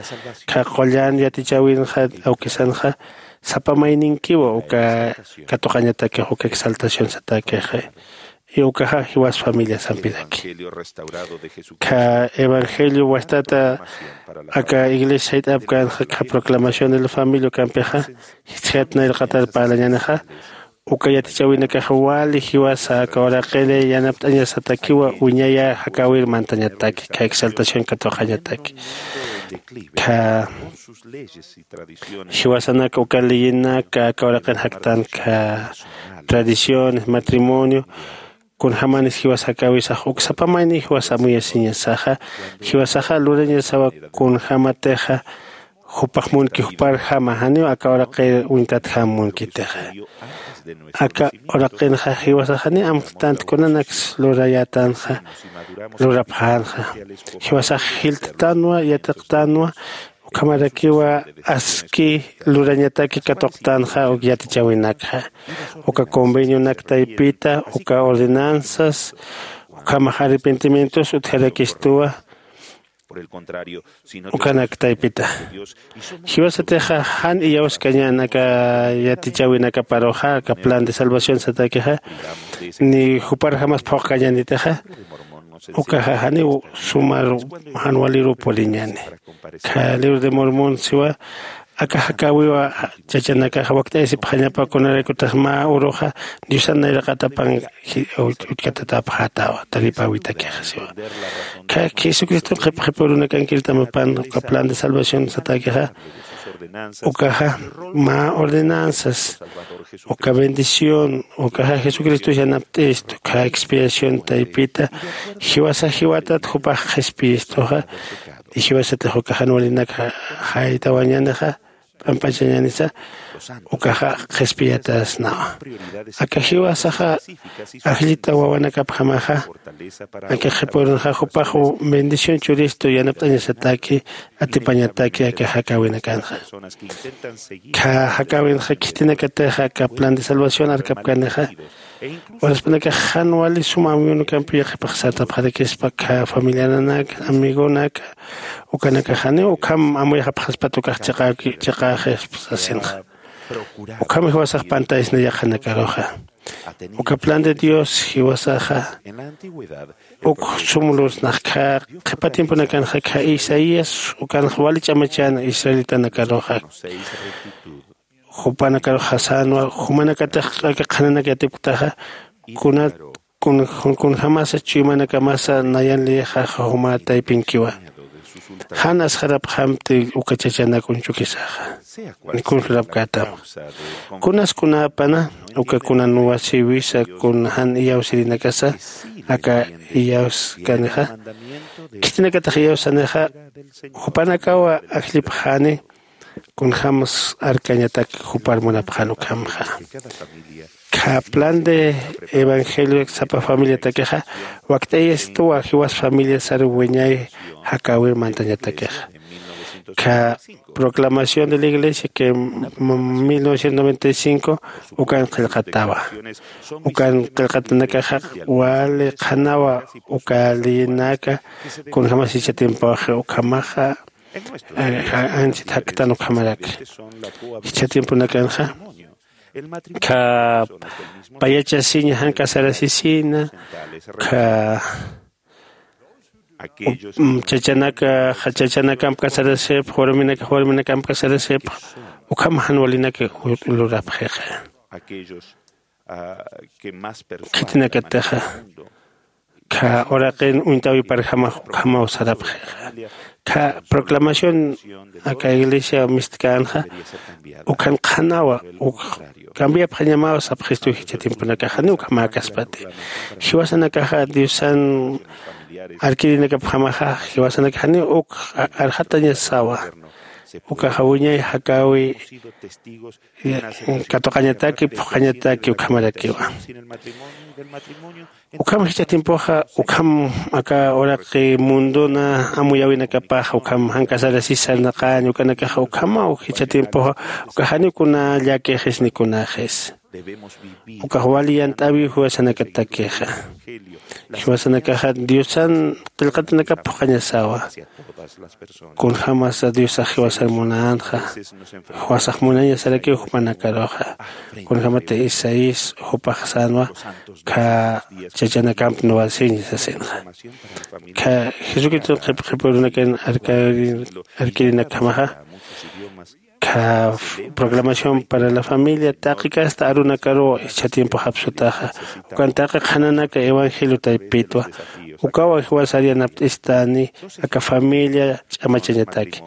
kha qullan yatichäwinxa awkisanxa sapa mayninkiwa uka katuqañatakix uka exaltación satäkixi. Y ukaxa jiwas familiasampiraki kha evangelio wastata aka iglesia sayt'apkänxa kha proclamación de la familia ukampixa jichjat nayraqatar parlañänixa. Uka yatichäwinakax wali jiwasa aka uraqiri yanapt'añasatakiwa wiñaya jakäwir mantañataki kha exaltación katuqañataki. Kha jiwasanaka uka leyinaka aka uraqin jaktan kha tradiciones matrimonio kunjämanis jiwas jakäwisax uk sapa mayni jiwas amuyasiñasaxa jiwasaxa lurañasawa kunjämatixa jupax munki juparjama janiw aka uraqir uñtatjam munkitixa. Aka uraqinxa jiwasax janiw amktanti kunanaks lurayätanxa lurapxänxa jiwasax jilttanwa yatiqtanwa. Ukhamarakiwa aski lurañataki katuqtanxa uk yatichäwinakxa uka convenionak taypita uka ordenanzas ukhamax arrepentimientos utjarakistuwa. Ukanak taypita jiwasatixa jan iyawskañän aka yatichäwinakaparuxa aka plan de salvación satakixa ni juparjamas phuqkañänitixa. Ukaxa janiw sumar jan waliruw puriñäni. Kha libro de mormón siwa Aka jakäwiwa chachanakaxa wakt'ayasipxañapa kunaraykutax mä uruxa diosan nayraqatapan uchkatatapxätawa. Taripäwitakixa siwa kha jesucriston qhipqhipürunakankirtamapan uka plan de salvación satäkixa. Ukaxa mä ordenanzas uka bendición ukaxa jesucristos yanapt'istu kha expiación taypita jiwasa jiwatat jupax qhispiyistuxa. Jiwasatix uka jan walinaka jaytawañänixa p'amp'achañänisa ukaxa qhispiyatasnawa. Aka jiwasaxa ajllita wawanakapjamaxa aka qhipürunxa jupax bendición churistu yanapt'añasataki atipañataki aka jakäwinakanxa. Kha jakäwinxa khitinakatixa aka plan de salvación arkapkanixa uraspanakax jan wali suma amuyunakampiya qhipax sartapxarakispa kha familiananaka amigonaka ukanakaxaniw ukham amuyxapxaspat ukax chiqäxispa sasinxa. Ukham jiwasax pantaysna yaqhanakaruxa uka plan de dios jiwasaxa uk sumlusnax kha qhipa tiemponakanxa kha isaías ukanxa wali ch'amachäna israelitanakaruxa. Jupanakarux jasänwa jumanakatix aka qhananak yatipktaxa kunat kunjämasa chuymanakamasa nayan liyixaxa juma taypinkiwa. Jan asxarapxamti uka chachanak uñchukisaxa ni kun lurapkätam. Kunas kunäpana uka kunan wasïwisa kun jan iyawsirinakasa aka iyawskanixa khitinakatix iyawsanixa jupanakawa ajllipxäni. Kunjämas arkañatak jupar munapxän ukhamxa kha plan de evangelio sapa familiatakixa wakt'ayasituwa jiwas familia sar wiñay jakäwir mantañatakixa. Kha proclamación de la iglesia que mil novecientos noventa y cinco ukan qillqatawa. Ukan qillqatanakaxa wali qhanawa uka leyinaka kunjämas jichha tiempoxi ukhamaxa anchit jaktan ukhamaraki. Jichha tiemponakanxa kha payachasiña jan casarasisina kha chachanaka chachanakamp casarasipx warminakax warminakamp casarasipx ukham jan walinaka lurapxixa. Khitinakatixa kha uraqin uñtawiparjamax ukhamaw sarapxixa. Kha proclamación aka iglesia mistkänxa ukhan qhanawa uk cambiapxañamaw sapxistu jichha tiemponakaxani ukhamäkaspati. Jiwasanakaxa diosan arkirinakapjamaxa jiwasanakaxani uk arxatañasawa. Ukaxa wiñay jakäwi katuqañataki phuqhañataki ukhamarakiwa. Ukham jichha tiempoxa ukham aka uraqi mundona amuyäwinakapaxa ukham jan casarasisa sarnaqaña ukanakaxa ukhamaw jichha tiempoxa ukaxaniw kuna llakixis ni kunaxis. Ukax wali yant'äwiw jiwasanakatakixa. Jiwasanakaxa diosan qillqatanakap phuqhañasawa. Kunjämasa diosax jiwasar munänxa jiwasax munañasarakiw jupanakaruxa. Kunjämati isaías jupax sänwa kha chachanakamp nuwasiña sasinxa. Kha jesucriston qhipqhipürunakan arkirinakjamaxa kha proclamación para la familia taqi kasta arunakaruw jichha tiempoxap sutaxa ukan taqi qhananaka evangelio taypitwa. Ukawa jiwasar yanapt'istani aka familia ch'amachañataki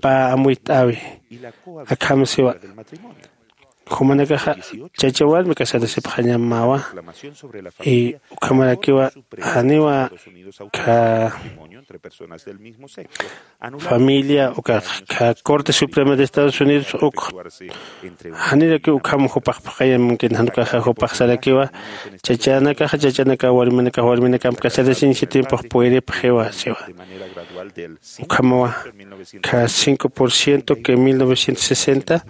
pä amuyt'äwi. Akham siwa jumanakaxa chacha warmi casarasipxañamawa. Y ukhamarakiwa janiwa kha familia ukax kha corte suprema de estados unidos uk janirakiw ukham jupax phuqhayamunkin jan ukaxa jupax sarakiwa. Chachanakaxa chachanakaw warminakax warminakamp casarasiñ jichha tiempox puyripxiwa siwa. Ukhamawa kha cinco por ciento que mil novecientos sesenta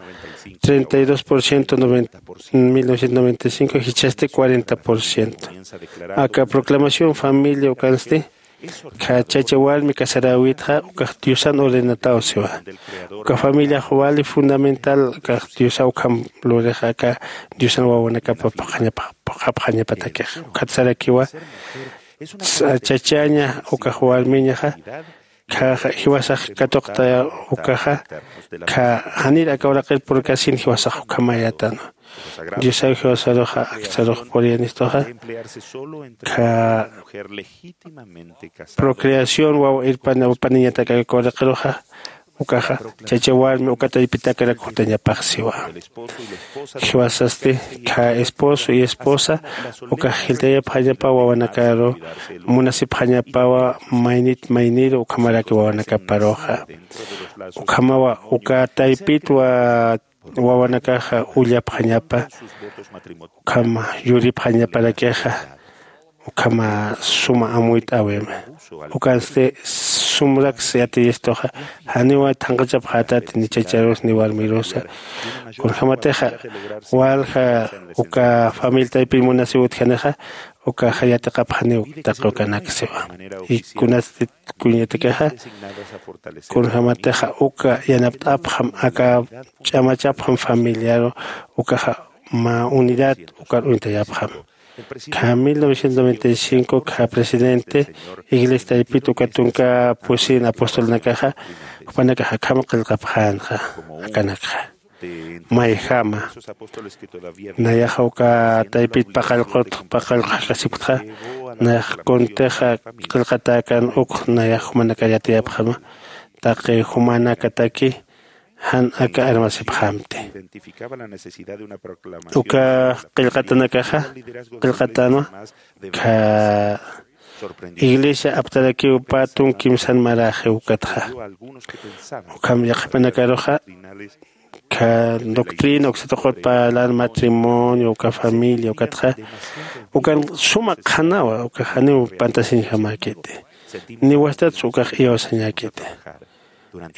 treinta y dos por ciento mil novecientos noventa y cinco jichhasti cuarenta por ciento. Aka proclamación familia ukansti kha chacha warmi casaräwitxa ukax diosan ordenataw siwa. Uka familiax wali fundamental ukax diosaw ukham lurixa aka diosan wawanakapa phuqhapxañapatakixa ukhat sarakiwa. Chachaña ukax warmiñaxa Kha jiwasax katuqta ukaxa kha janir aka uraqir purkasin jiwasax ukhamayätanwa. Diosaw jiwasaruxa aktsarux puriyanistuxa kha procreación wawa irpana paniñatak aka uraqiruxa ukaxa chacha warmi uka taypitakarak jutañapax siwa. Jiwasasti kha esposo y esposa ukax jiltayapxañapawa wawanakaru munasipxañapawa maynit mayniru ukhamaraki wawanakaparuxa. Ukhamawa uka taypitwa wawanakaxa ullapxañapa ukham yuripxañaparakixa ukhama suma amuyt'äwima. Ukansti sumraks yatiyistuxa janiw thanqachapxätati ni chacharus ni warmirusa. Kunjämatixa walja uka familia taypin munasiw utjanixa ukaxa yatiqapxaniw taqi ukanak siwa. Y kunatsti kuñatakixa kunjämatixa uka yanapt'apxam aka ch'amachapxam familiaru ukaxa mä unidad ukar uñtayapxam. Kha mil novecientos noventa y cinco kha presidente iglesia taypit uka tunka pusin apostolanakaxa jupanakax akham qillqapxänxa akanakxa mayjama nayaxa uka taypit paqallqut paqallqaxkasipktxa nayax kuntixa qillqatäkän uk nayax jumanakar yatiyapxama taqi jumanakataki jan aka armasipxamti. Uka qillqatanakaxa qillqatänwa kha iglesia aptarakiw pä tunk kimsan maräxiw ukatxa ukham yaqhipanakaruxa kha doctrina uksatuqut parlan matrimonio uka familia ukatxa ukan suma qhanawa uka janiw pantasiñjamäkiti. Niwastats ukax iyawsañäkiti.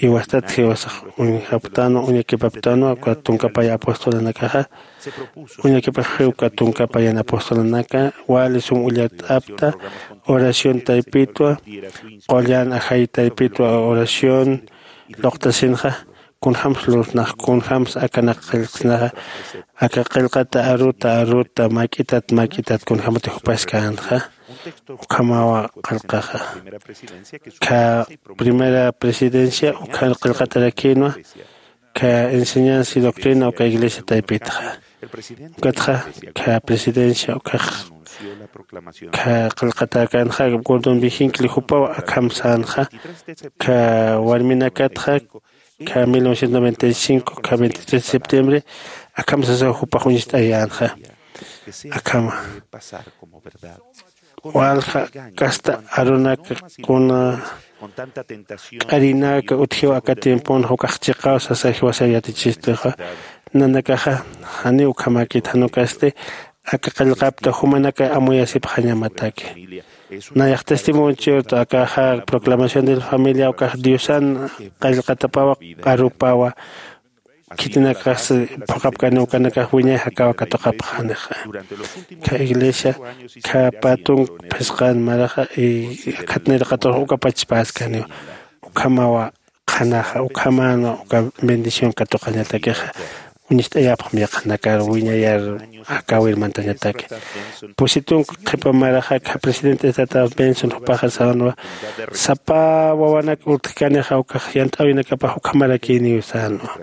Iwastat jiwasax uñjaptanwa uñakipaptanwa uka tunkapaya apostolanakaxa uñakipaxi uka tunkapaya apostolanaka wali sum ullart'apta oración taypitwa qullan ajay taypitwa oración luqtasinxa kunjämsa lurtnax kunjämsa akanak qillqsnaxa aka qillqata aruta aruta mak'itat mak'itat kunjämati jupaskänxa. Ukhamawa qillqaxa kha primera presidencia ukhan qillqatarakïnwa kha enseñanza y doctrina uka iglesia taypitxa ukatxa kha presidencia ukax kha qillqatäkänxa gordon viginkli jupaw akham sänxa kha warminakatxa kha mil novecientos noventa y cinco kha veintitrés de septiembre akham sasaw jupax uñst'ayänxa. Akhama walja kasta arunaka kuna k'arinaka utjiw aka tiemponxa ukax chiqaw sasa jiwasa yatichistuxa nanakaxa janiw ukhamäkit jan ukasti aka qillqapta jumanaka amuyasipxañamataki. Nayax testimonchiwta akaxa proclamación de la familia ukax diosan qillqatapawa arupawa khitinakaxsi phuqhapkani ukanakax wiñay jakawa katuqhapxanixa. Kha iglesia kha pä tunk phisqan maraxa y khatniraqatux uka pachpaskaniwa ukhamawa qhanaxa ukhamänwa uka bendición katuqañatakixa. Uñst'ayapxam yaqhanakar wiñayar jakäwir mantañataki pusi tunk qhipa maraxa kha presidente estata benson jupaxa sänwa sapa wawanak urtjkanixa ukax yant'äwinakapax ukhamarakïniw sänwa.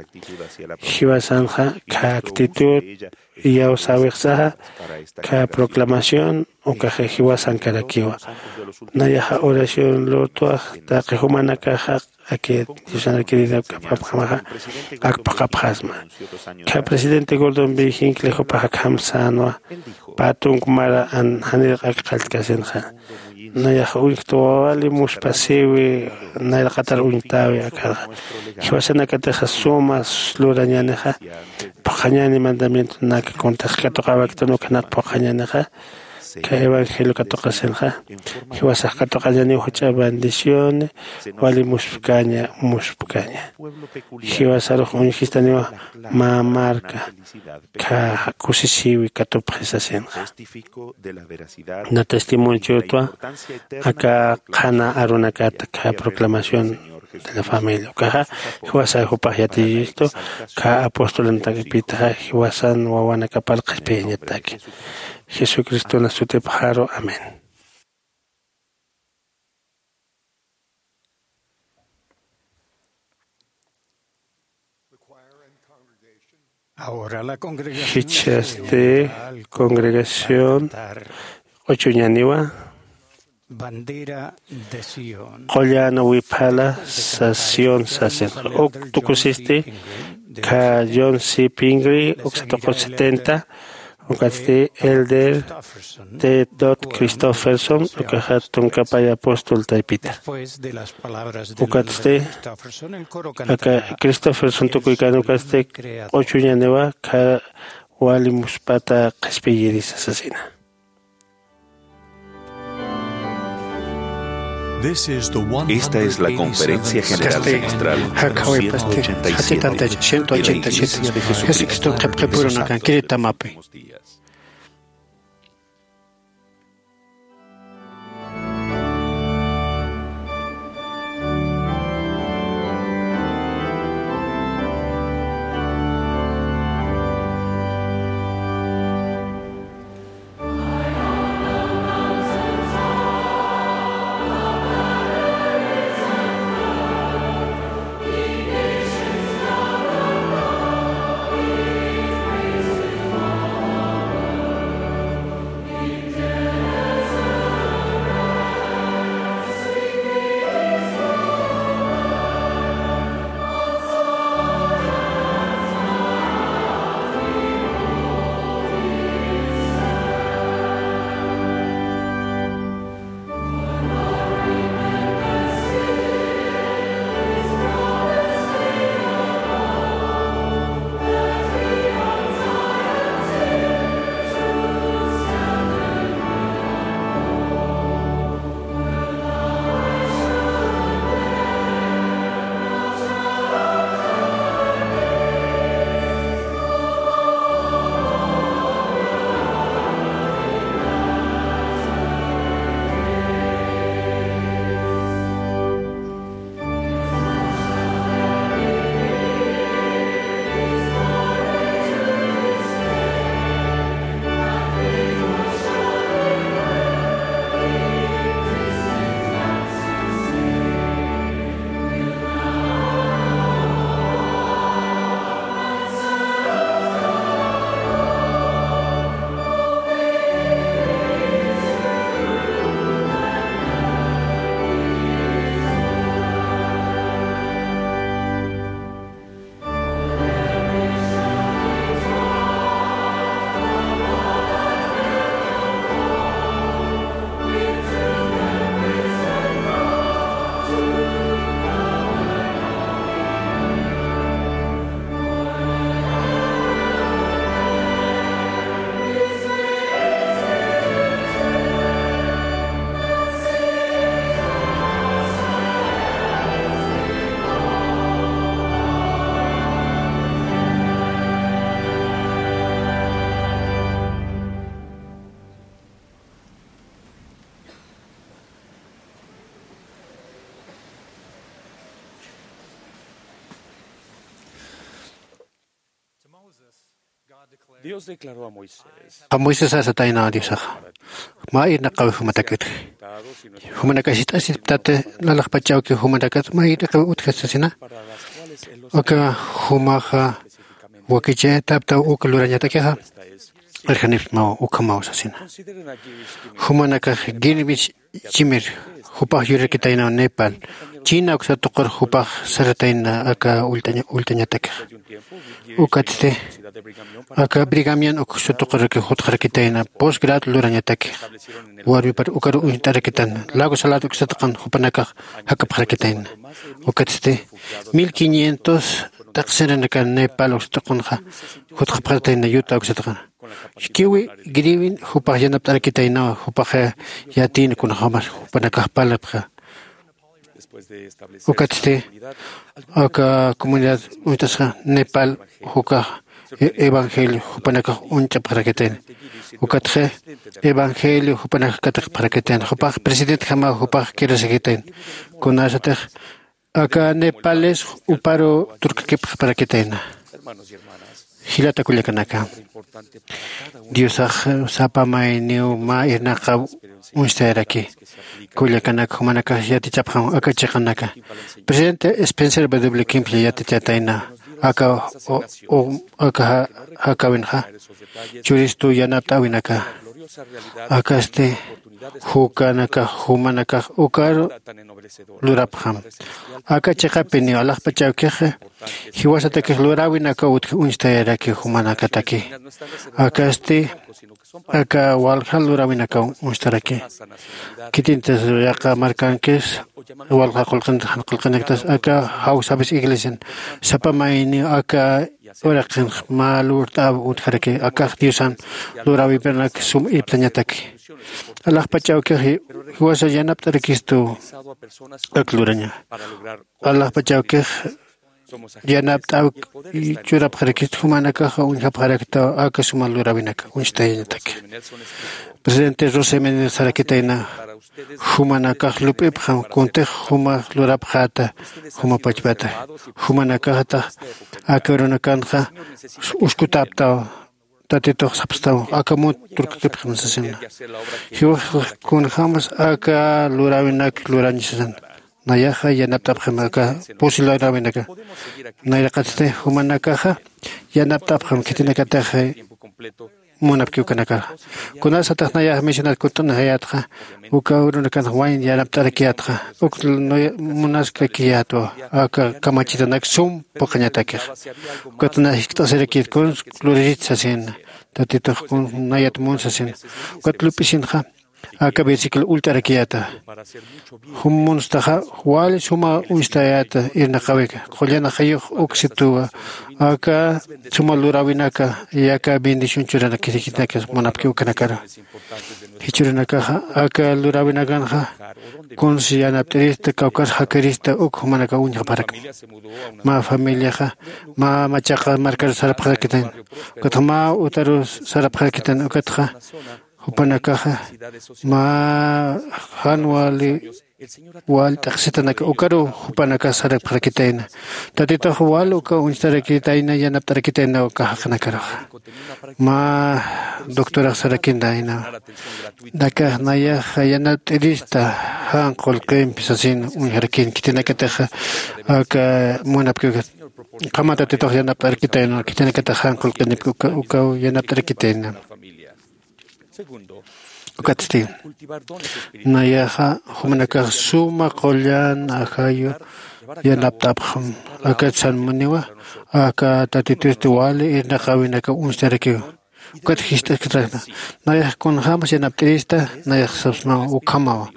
Jiwasanxa kha actitud iyawsäwixsaxa kha proclamación ukax jiwasankarakiwa. Nayaxa oración lurtwax taqi jumanakaxa aki diosan querida kapapxamaxa akpaqapxasma. Kha presidente gordon viginkli jupax akham sänwa pä tunk mara janiraq ak qalltkasinxa. Nayax uñjtwa wali muspasiwi nayraqatar uñtäwi akharxa jiwasanakatixa suma lurañänixa phuqhañäni mandamientonaka kuntix katuqäwaktan ukhanak phuqhañänixa kha evangelio katuqasinxa jiwasax katuqañäniw juch'a bendición wali muspkaña muspkaña. Jiwasarux uñjistaniwa mä marka kha kusisiwi katupxisasinxa. Na testimonchiwtwa aka qhana arunakata kha proclamación de la familia ukaxa jiwasa jupax yatiyistu kha apostolantakipitaxa jiwasan wawanakapar qhispiyañataki jesucristona sutipxaru amén. Jichhasti congregación q'uchuñaniwa. Qullan wiphala sas Sion sasin. Uk tukusisti kha John C. Pingree, uksa tuqu setenta, ukatsti Elder Ted Christopherson, ukaxa tunkapay apóstol taypita. Ukatsti aka Christopherson tukuykan ukatsti q'uchuñaniwa kha wali muspata qhispiyirisa sasina. Esta es la conferencia general semestral número ciento ochenta y siete de la Iglesia de Jesucristo de los Santos de los Últimos Días. Dios declaró a Moisés. A Moisés asatayna Diosaxa. Mä irnaqawi jumatakit. Jumanakax jiskt'asiptati, lalaqpachawki jumanakat mä irnaqawi utjastasina. Uka jumaxa wakichayataptaw uk lurañatakixa. Irjanipsmaw ukhamaw sasina. Jumanakax Girmis Chimir, jupax yurarkitaynaw Nepal, China uksa tuqur jupax saratayna aka ullt'aña-, ullt'añatakix. Ukatsti, aka Brigamian uksa tuquraki jutxarakitayna, posgrad lurañatakix. Warmipar ukar uñt'arakitan, Lago Salado uksa tuqin jupanakax jakapxarakitayna. Ukatsti, mil quinientos taqsinanaka Nepal uksa tuqinxa, jutxapxarakitayna, Utah uksa tuqin. Jichhawi Girmis jupax yanapt'arakitaynawa, jupax yatiyna kunjämas jupanakax parlapxi. Ukatsti, aka comunidad uñt'asxa Nepal jukax e-, evangelio jupanakax uñch'apxarakitayna. Ukatxa evangelio jupanakax katiqapxarakitayna. Jupax presidentjamaw jupax kirasakitayna. Kunasatix aka Nepales uparu turkakipxaparakitayna. Jilata kullakanaka, Diosax sapa mayniw mä irnaqaw uñstayaraki. Kullakanak, jumanakax yatichapxam aka chiqanaka. Presidente Spencer W. Kimball yatichätayna. aka aka jakawinxa churistu yanapt'awinaka. Akasti jukanakax jumanakax ukaru lurapxam. Aka chiqapiniw alaxpachawkixa jiwasatakix luräwinakaw utji uñstayarakiw jumanakataki. Akasti aka walja luräwinakaw uñstaraki. Khitintas yaqa markankis walja qullqinaktas jan qullqinaktas aka jawsapis iglesian sapa mayniw aka uraqinx mä lurt'äw utjaraki. Akax diosan luräwipiranak sum irptañataki. Alaxpach awkix jiwasa yanapt'arakistu ak luraña. Alaxpach awkix yanapt'äw churapxarakistu jumanakaxa uñjapxaraktaw aka suma luräwinaka uñstayañataki. Presidente rosemenel sarakitayna jumanakax lup'ipxam kuntix jumax lurapxäta juma pachpata. Jumanakaxta aka urunakanxa uskutäptaw. Tatitux sapstaw aka mut turkutipxam sasina. Jiwax kunjämas aka luräwinak lurañ sasan. Nayaxa yanapt'apxam aka pusi luräwinaka. Nayraqatsti jumanakaxa yanapt'apxam khitinakatix munapki ukanakar. Kunasatix nayax mencionar kunt'anxayätxa uka urunakanx wayn yanapt'arakiyätxa uk munaskakiyätwa aka kamachitanak sum puqañatakix. Ukat na jiskt'asirakiyät kuns luririt sasina. Tatitux kun nayat mun sasina. Ukat lup'isinxa aka versículo ullt'arakiyäta. Jum munstaxa wali suma uñstayäta irnaqawika qullan ajayux uksituwa aka suma luräwinaka yaka bendición churanakirikitaka munapki ukanakaru. Jichhürunakaxa aka luräwinakanxa kuns yanapt'irista kawkar jakirista uk jumanaka uñjapxarakma. Mä familiaxa mä machaqa markar sarapxarakitayna. Ukatxa mä utaru sarapxarakitayna ukatxa jupanakaxa mä jan wali wal t'aqsitanak ukaru jupanakax sarapxarakitayna. Tatitux wal uka uñstarakitayna yanapt'arakitayna uka jaqinakaruxa. Mä doctorax sarakintayna. Dakax nayax yanapt'irista jan qullqimpi sasin uñjarakïn khitinakatix aka munapki ukat qhama tatitux yanapt'arakitayna khitinakatix jan qullqinipki ukaw yanapt'arakitayna. Ukatsti nayaxa jumanakax suma qullan ajayu yanapt'apxam. Akat sanmuniwa aka tatitusti wali irnaqäwinaka uñstarakiw. Ukat jist'askitrakna nayax kunjämas yanapt'irista. Nayax sapsmaw ukhamawa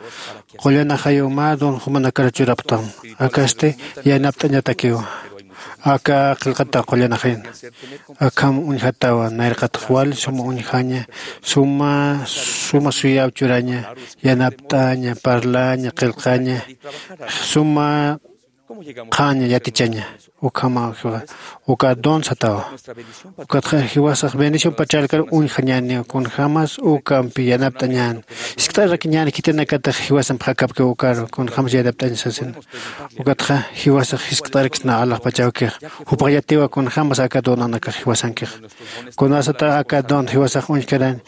qullan ajayu mä don jumanakar churapxtam. Akasti yanapt'añatakiwa. Aka qillqata qullan ajayu akham uñjatawa nayraqatx wal suma uñjaña suma suma suyäw churaña yanapt'aña parlaña qillqaña suma qhaña yatichaña. Ukhama uka don satawa. Ukatxa jiwasax bendición pacharkar uñjañäniw kunjämas ukampi yanapt'añän jiskt'arakiñän khitinakatix jiwasamp jakapki ukaru kunjämas yanapt'añ sasin. Ukatxa jiwasax jiskt'araksna alaxpach awkix jupax yatiwa kunjämas aka donanakax jiwasankix. Kunasata aka don jiwasax uñjkarañ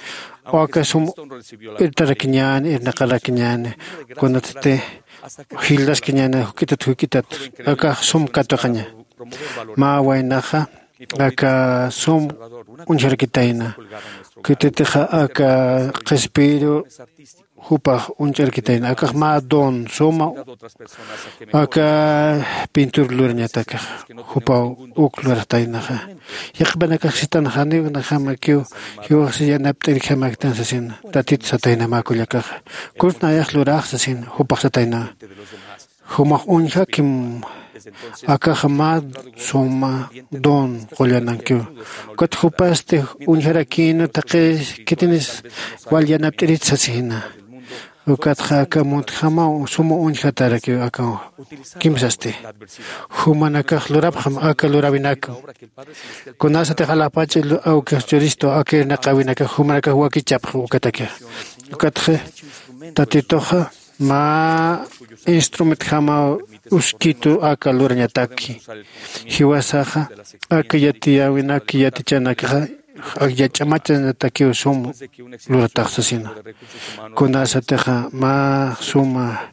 aka sum irtarakiñäni irnaqarakiñäni kunatsti jildaskiñäni juk'itat juk'itat akax sum katuqaña. Mä waynaxa aka sum uñjarakitayna. Khititixa aka qhispiru jupax uñch'arakitayna akax mä don suma aka pintur lurañatakax jupaw uk luraxtaynaxa. Yaqhipanakax sitanxaniw najamakiw jiwaxsi yanapt'irjamaktan sasin. Tatit satayna mä kullakaxa kuns nayax lurax sasin jupax satayna. Jumax uñjakim akaxa mä suma don qullanankiw. Ukat jupasti uñjarakïna taqi khitinis wal yanapt'irit sasina. Ukatxa aka muntjamaw suma uñjatarakiw aka kimsasti jumanakax lurapxam aka luräwinakam. Kunasatix alaxpach awkix churistu aka irnaqäwinakax jumanakax wakichapxam ukatakixa. Ukatxa tatituxa mä instrumentjamaw uskitu aka lurañataki. Jiwasaxa aka yatiyäwinak yatichanakaxa ak yach'amachanatakiw sum luratax sasina. Kunasatixa mä suma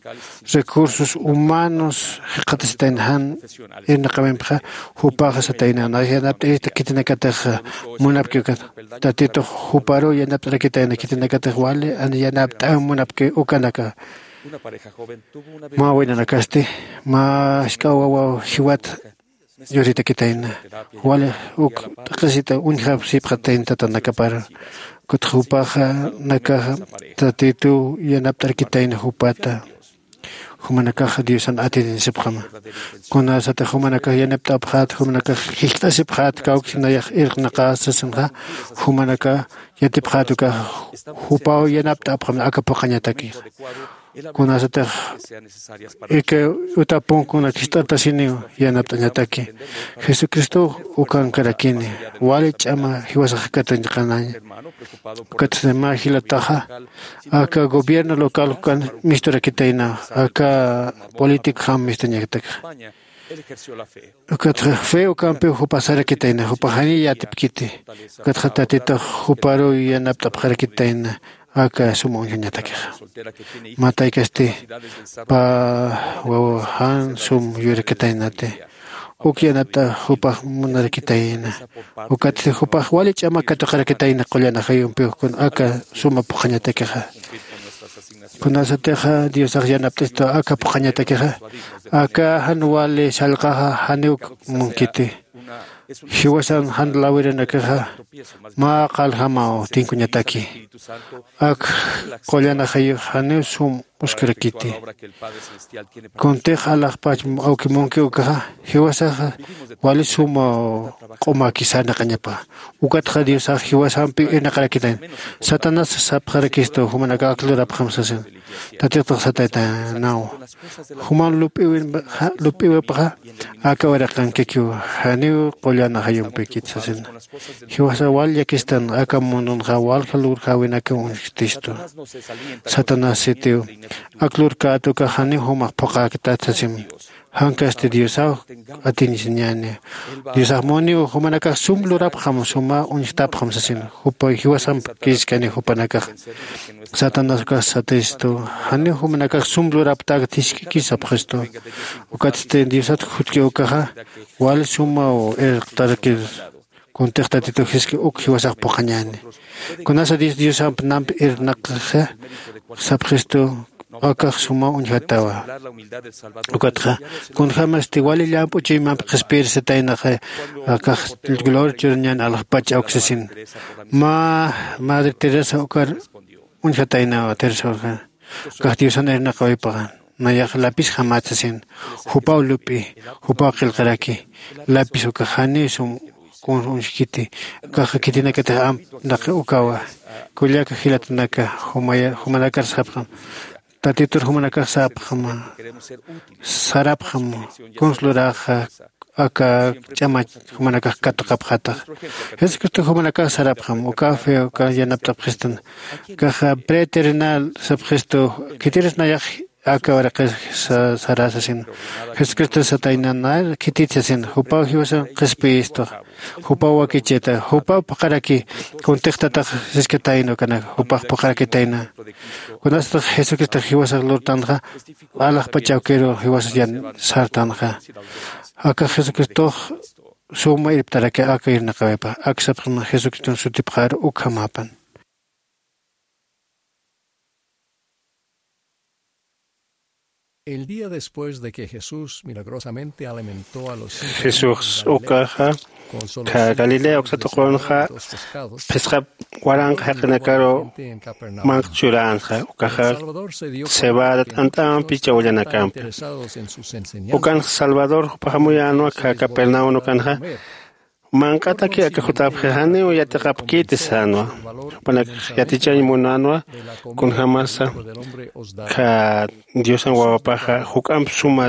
recursos humanos jikxatasitayna jan irnaqawimpxa, jupaxa satayna nax yanapt'irista khitinakatix munapki ukat. Tatitux juparuw yanapt'arakitayna khitinakatix wali an yanapt'äw munapki ukanaka. Mä waynanakasti mä jisk'a wawaw jiwat yuritakitayna. Wali uk t'aqhisita uñjapsipxatayna tatanakapar. Ukatxa jupaxa nakaxa Tatituw yanapt'arakitayna jupata. Jumanakaxa Diosan atininsipxama. Kunasatix jumanakax yanapt'apxät, jumanakax jikxt'asipxät kawkinayax irqnaqä sasinxa, jumanakax yatipxät ukaxa jupaw yanapt'apxam aka phuqhañatakixa. Kunasatix ika utapunkuna khist'artasiniw yanapt'añataki. Jesucristow ukankarakini wali ch'ama jiwasax katuñqanaña. Ukatsti mä jilataxa aka gobierno local ukan misturakitayna aka políticojam mistuñatakxa. Ukatxa fe ukampiw jupa sarakitayna jupa janiy yatipkiti. Ukatxa tatitux juparuw yanapt'apxarakitayna aka suma uñjañatakixa. Mä taykasti pä wawa jan sum yurakitaynati uk yanapt'a jupax munarakitayna. Ukatsti jupax wali ch'ama katuqarakitayna qullan ajayumpiw kun aka suma phuqhañatakixa. Kunasatixa Diosax yanapt'istu aka phuqhañatakixa, aka jan wali sallqaxa janiw munkiti. Jiwasan jan lawiranakaxa mä qaljamaw tinkuñataki. Ak qullan ajayux janiw sum uskurakiti. Kuntix alaxpach awki munki ukaxa jiwasaxa wali sumaw q'umaki sarnaqañapa. Ukatxa Diosax jiwasampi irnaqarakitayna. Satanás sapxarakistu jumanakax ak lurapxam sasin. Tatitux sataytanaw juman lup'iwin lup'iwipxa aka uraqankikiw janiw qullan ajayumpikit sasina. Jiwasa wal llakistan aka mundunxa walja lurjäwinakaw uñjtistu. Satanás sitiw ak lurkät ukax janiw jumax phuqhäktat sasim. Jankasti diosaw atinisiñäni. Diosax muniw jumanakax sum lurapxam suma uñjtapxam sasin. Jupa jiwasamp kiskani jupanakax. Satanás ukax satistu janiw jumanakax sum luraptäk jisk'iki sapxistu. Ukatsti diosat jutki ukaxa wal sumaw irqtarakir. Kuntix tatitu jiski uk jiwasax phuqhañäni. Kunasa dios diosamp namp irnaqxa sapxistu. Akax suma uñjatawa. Ukatxa kunjämasti wali llamp'u chuymamp qhispirsitaynaxa akax gloria churañän alaxpach awk sasin. Mä madre teresa ukar uñjataynawa teresa urja. Akax diosan irnaqawaypaxa nayax lapisjamät sasin. Jupaw lup'i jupaw qillqaraki. Lapis ukax janiw sum kun uñjkiti. Kaxa khitinakatix amp naqi ukawa. Kullaka jilatanaka jumanakar sapxam. Tatitur jumanakax sapxama sarapxam. Kuns luraxa aka ch'amach jumanakax katuqapxatax. Jesucristo jumanakax sarapxam uka fe uka yanapt'apxistan. Kaxa preterrenal sapxistu. Khitiris nayax aka uraqis sarasasin. Jesucristo satayna nayar khititsasin jupaw jiwasan qhispiyistux. Jupaw wakichita jupaw phuqharaki. Kuntixtatax siskatayna ukanaka jupax phuqharakitayna. Kunasatax jesucristox jiwasax lurtanxa alaxpachawkiru jiwasas yan sartanxa. Akax jesucristox suma irptaraki aka irnaqawipa aksapxima jesucriston sutipxaru ukhamäpan. El día después de que Jesús milagrosamente alimentó a los cinco mil hombres, Jesus ukaxa ka Galilea uksatuqunxa phisqa waranqa jaqinakaru manq churänxa ukaxa cebada t'ant'ampi chawallanakampi. Ukanxa Salvador jupax amuyänwa ka Capernaum ukanxa manq'ataki aka jutapxi janiw yatiqapkiti sänwa. Jupanakax yatichañ munänwa kunjämasa ka Diosan wawapaxa juk'amp suma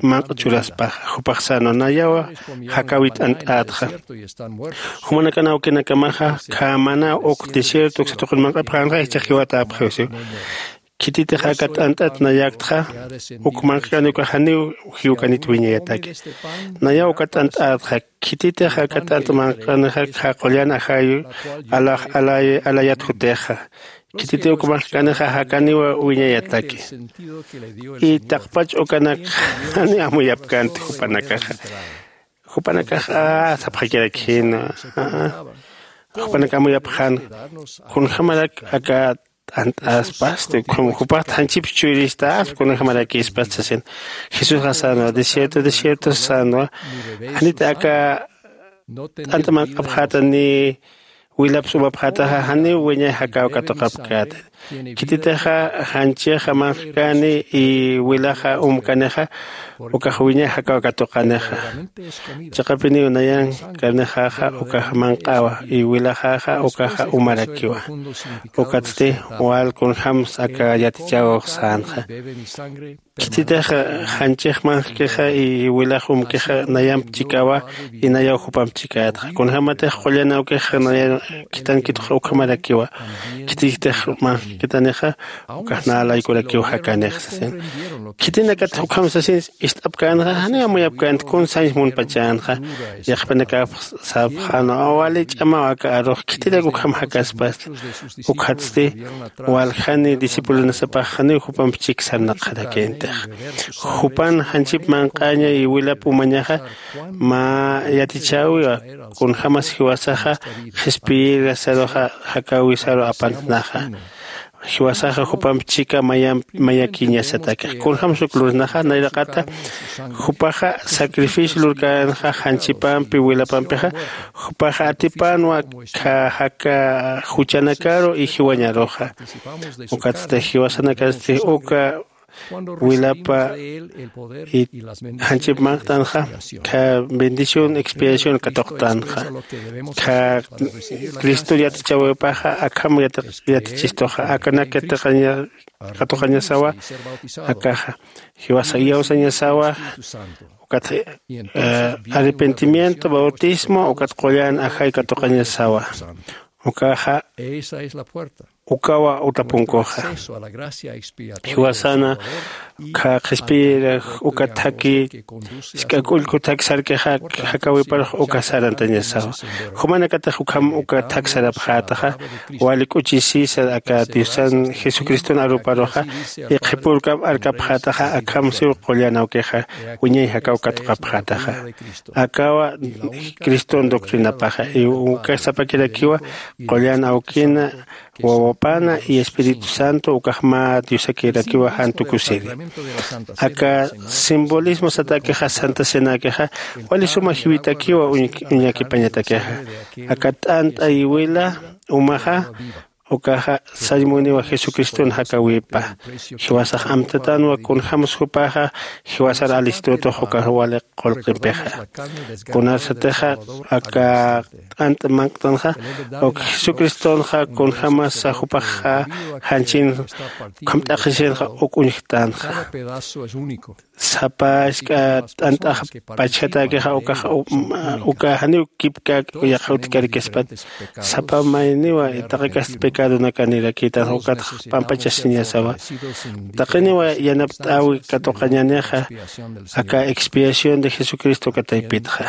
manq'a churaspaxa jupax sänwa nayawa jakäwi t'ant'ätxa. Jumanakan awkinakamaxa khämana uk desierto uksa tuqin manq'apxänxa jichhax jiwatäpxiw siw. Khititix aka t'ant'at nayaktxa, uk manq'kani uka janiw jiwkanit wiñayataki. Nayaw uka t'ant'atxa, khititix aka t'ant'a manq'anixa qullan ajayu alax alay alayat jutixa. Khititi uk manq'kanixa jakaniwa wiñayataki. Y taqpach ukanak jani amuyapkänti jupanakaxa. Jupanakax a sapxakirakjina. Jupanak amuyapxan, kunjamarak aka t'ant'aspasti, jupaxt janchip chuyristaspa kunjamarakispas sasin. Jesusxa sänwa, desierto desierto sänwa, janit aka t'ant'a manq'apxäta ni wilapsa umapxätaxa janiw wiñay jakaw katuqapkäti. Khititixa janchixa manq'kani y wilaxa umkanixa ukax wiñay jakaw katuqanixa. Chiqapiniw nayankanixaxa ukaxa manq'awa y wilaxaxa ukaxa umarakiwa. Ukatsti wal kunjämsa aka yatichäwix sänxa. Khititix janchix manq'kixa y wilax umkixa nayamp chikawa y nayaw jupamp chikätxa. Kunjämatix qullan awkixa nayankitankitxa ukhamarakiwa. Khititix manq'kitanixa ukax nä laykurakiw jakanix sasin. Khitinakatix ukham sasin, ist'apkänxa janiw amuyapkänti kun sañs munpachänxa. Yaqpanakap sapxänwa, wali ch'amaw aka arux khitirak ukham jakaspasti. Ukatsti waljani discipulonasapax janiw jupamp chik sarnaqxarakïntix. Jupan janchip manq'aña y wilap umañaxa mä yatichäwiwa, kunjämas jiwasaxa qhispiyirasaruxa jakäwisaru apantnaxa. Jiwasaxa jupamp chika mayamp mayakiñasatakix. Kunjämsa uk lurnaxa nayraqata jupaxa sacrificio lurkänxa janchipampi wilapampixa, jupaxa atipänwa kha jaka juchanakaru y jiwañaruxa. Ukatsti jiwasanakasti uka wilapa y janchip manq'tanxa kha bendición expiación katuqtanxa. Kha Cristo yatichäwipaxa akham yatichistuxa akanak katuqañasawa. Akaxa jiwasa iyawsañasawa. Ukat arrepentimiento bautismo ukat qullan ajay katuqañasawa. Ukaxa ukawa utapunkuxa. Jiwasana ukkha qhispiyirax uka thaki isk'ak ullku thaki sarkixa jakäwiparux uka sarantañasawa. Jumanakatix ukham uka thak sarapxätaxa wali k'uchisisa aka diosan jesucriston aruparuxa. Iqhipurkam arkapxätaxa akhamsiw qullan awkixa wiñay jakaw katuqapxätaxa. Akawa criston doctrinapaxa y uka sapakirakiwa qullan awkina wawapana y espíritu santo ukax mä diosakirakiwa jan tukusiri. Aka simbolismo satakixa santa cenakixa wali suma jiwitakiwa uñakipañatakixa. Aka t'ant'a iwila umaxa ukaxa sañ muniwa jesucriston jakäwipa. Jiwasax amtatanwa kunjämsa jupaxa jiwasar alistutux ukax wali qullqimpixa. Kunasatixa aka t'ant'a manq'tanxa uk jesucristonxa kunjämasa jupaxa janchin ukham t'aqhisinxa uk uñjtanxa. Sapa isk'a t'ant'ax pachjatäkixa ukax uka janiw kipkäk yaqha utjkarikispat. Sapa mayniwa taqi kasta pecadonakanirakïtanxa ukatx pampachasiñasawa. Taqiniwa yanapt'äwi katuqañänixa aka expiación de jesucristo uka taypitxa.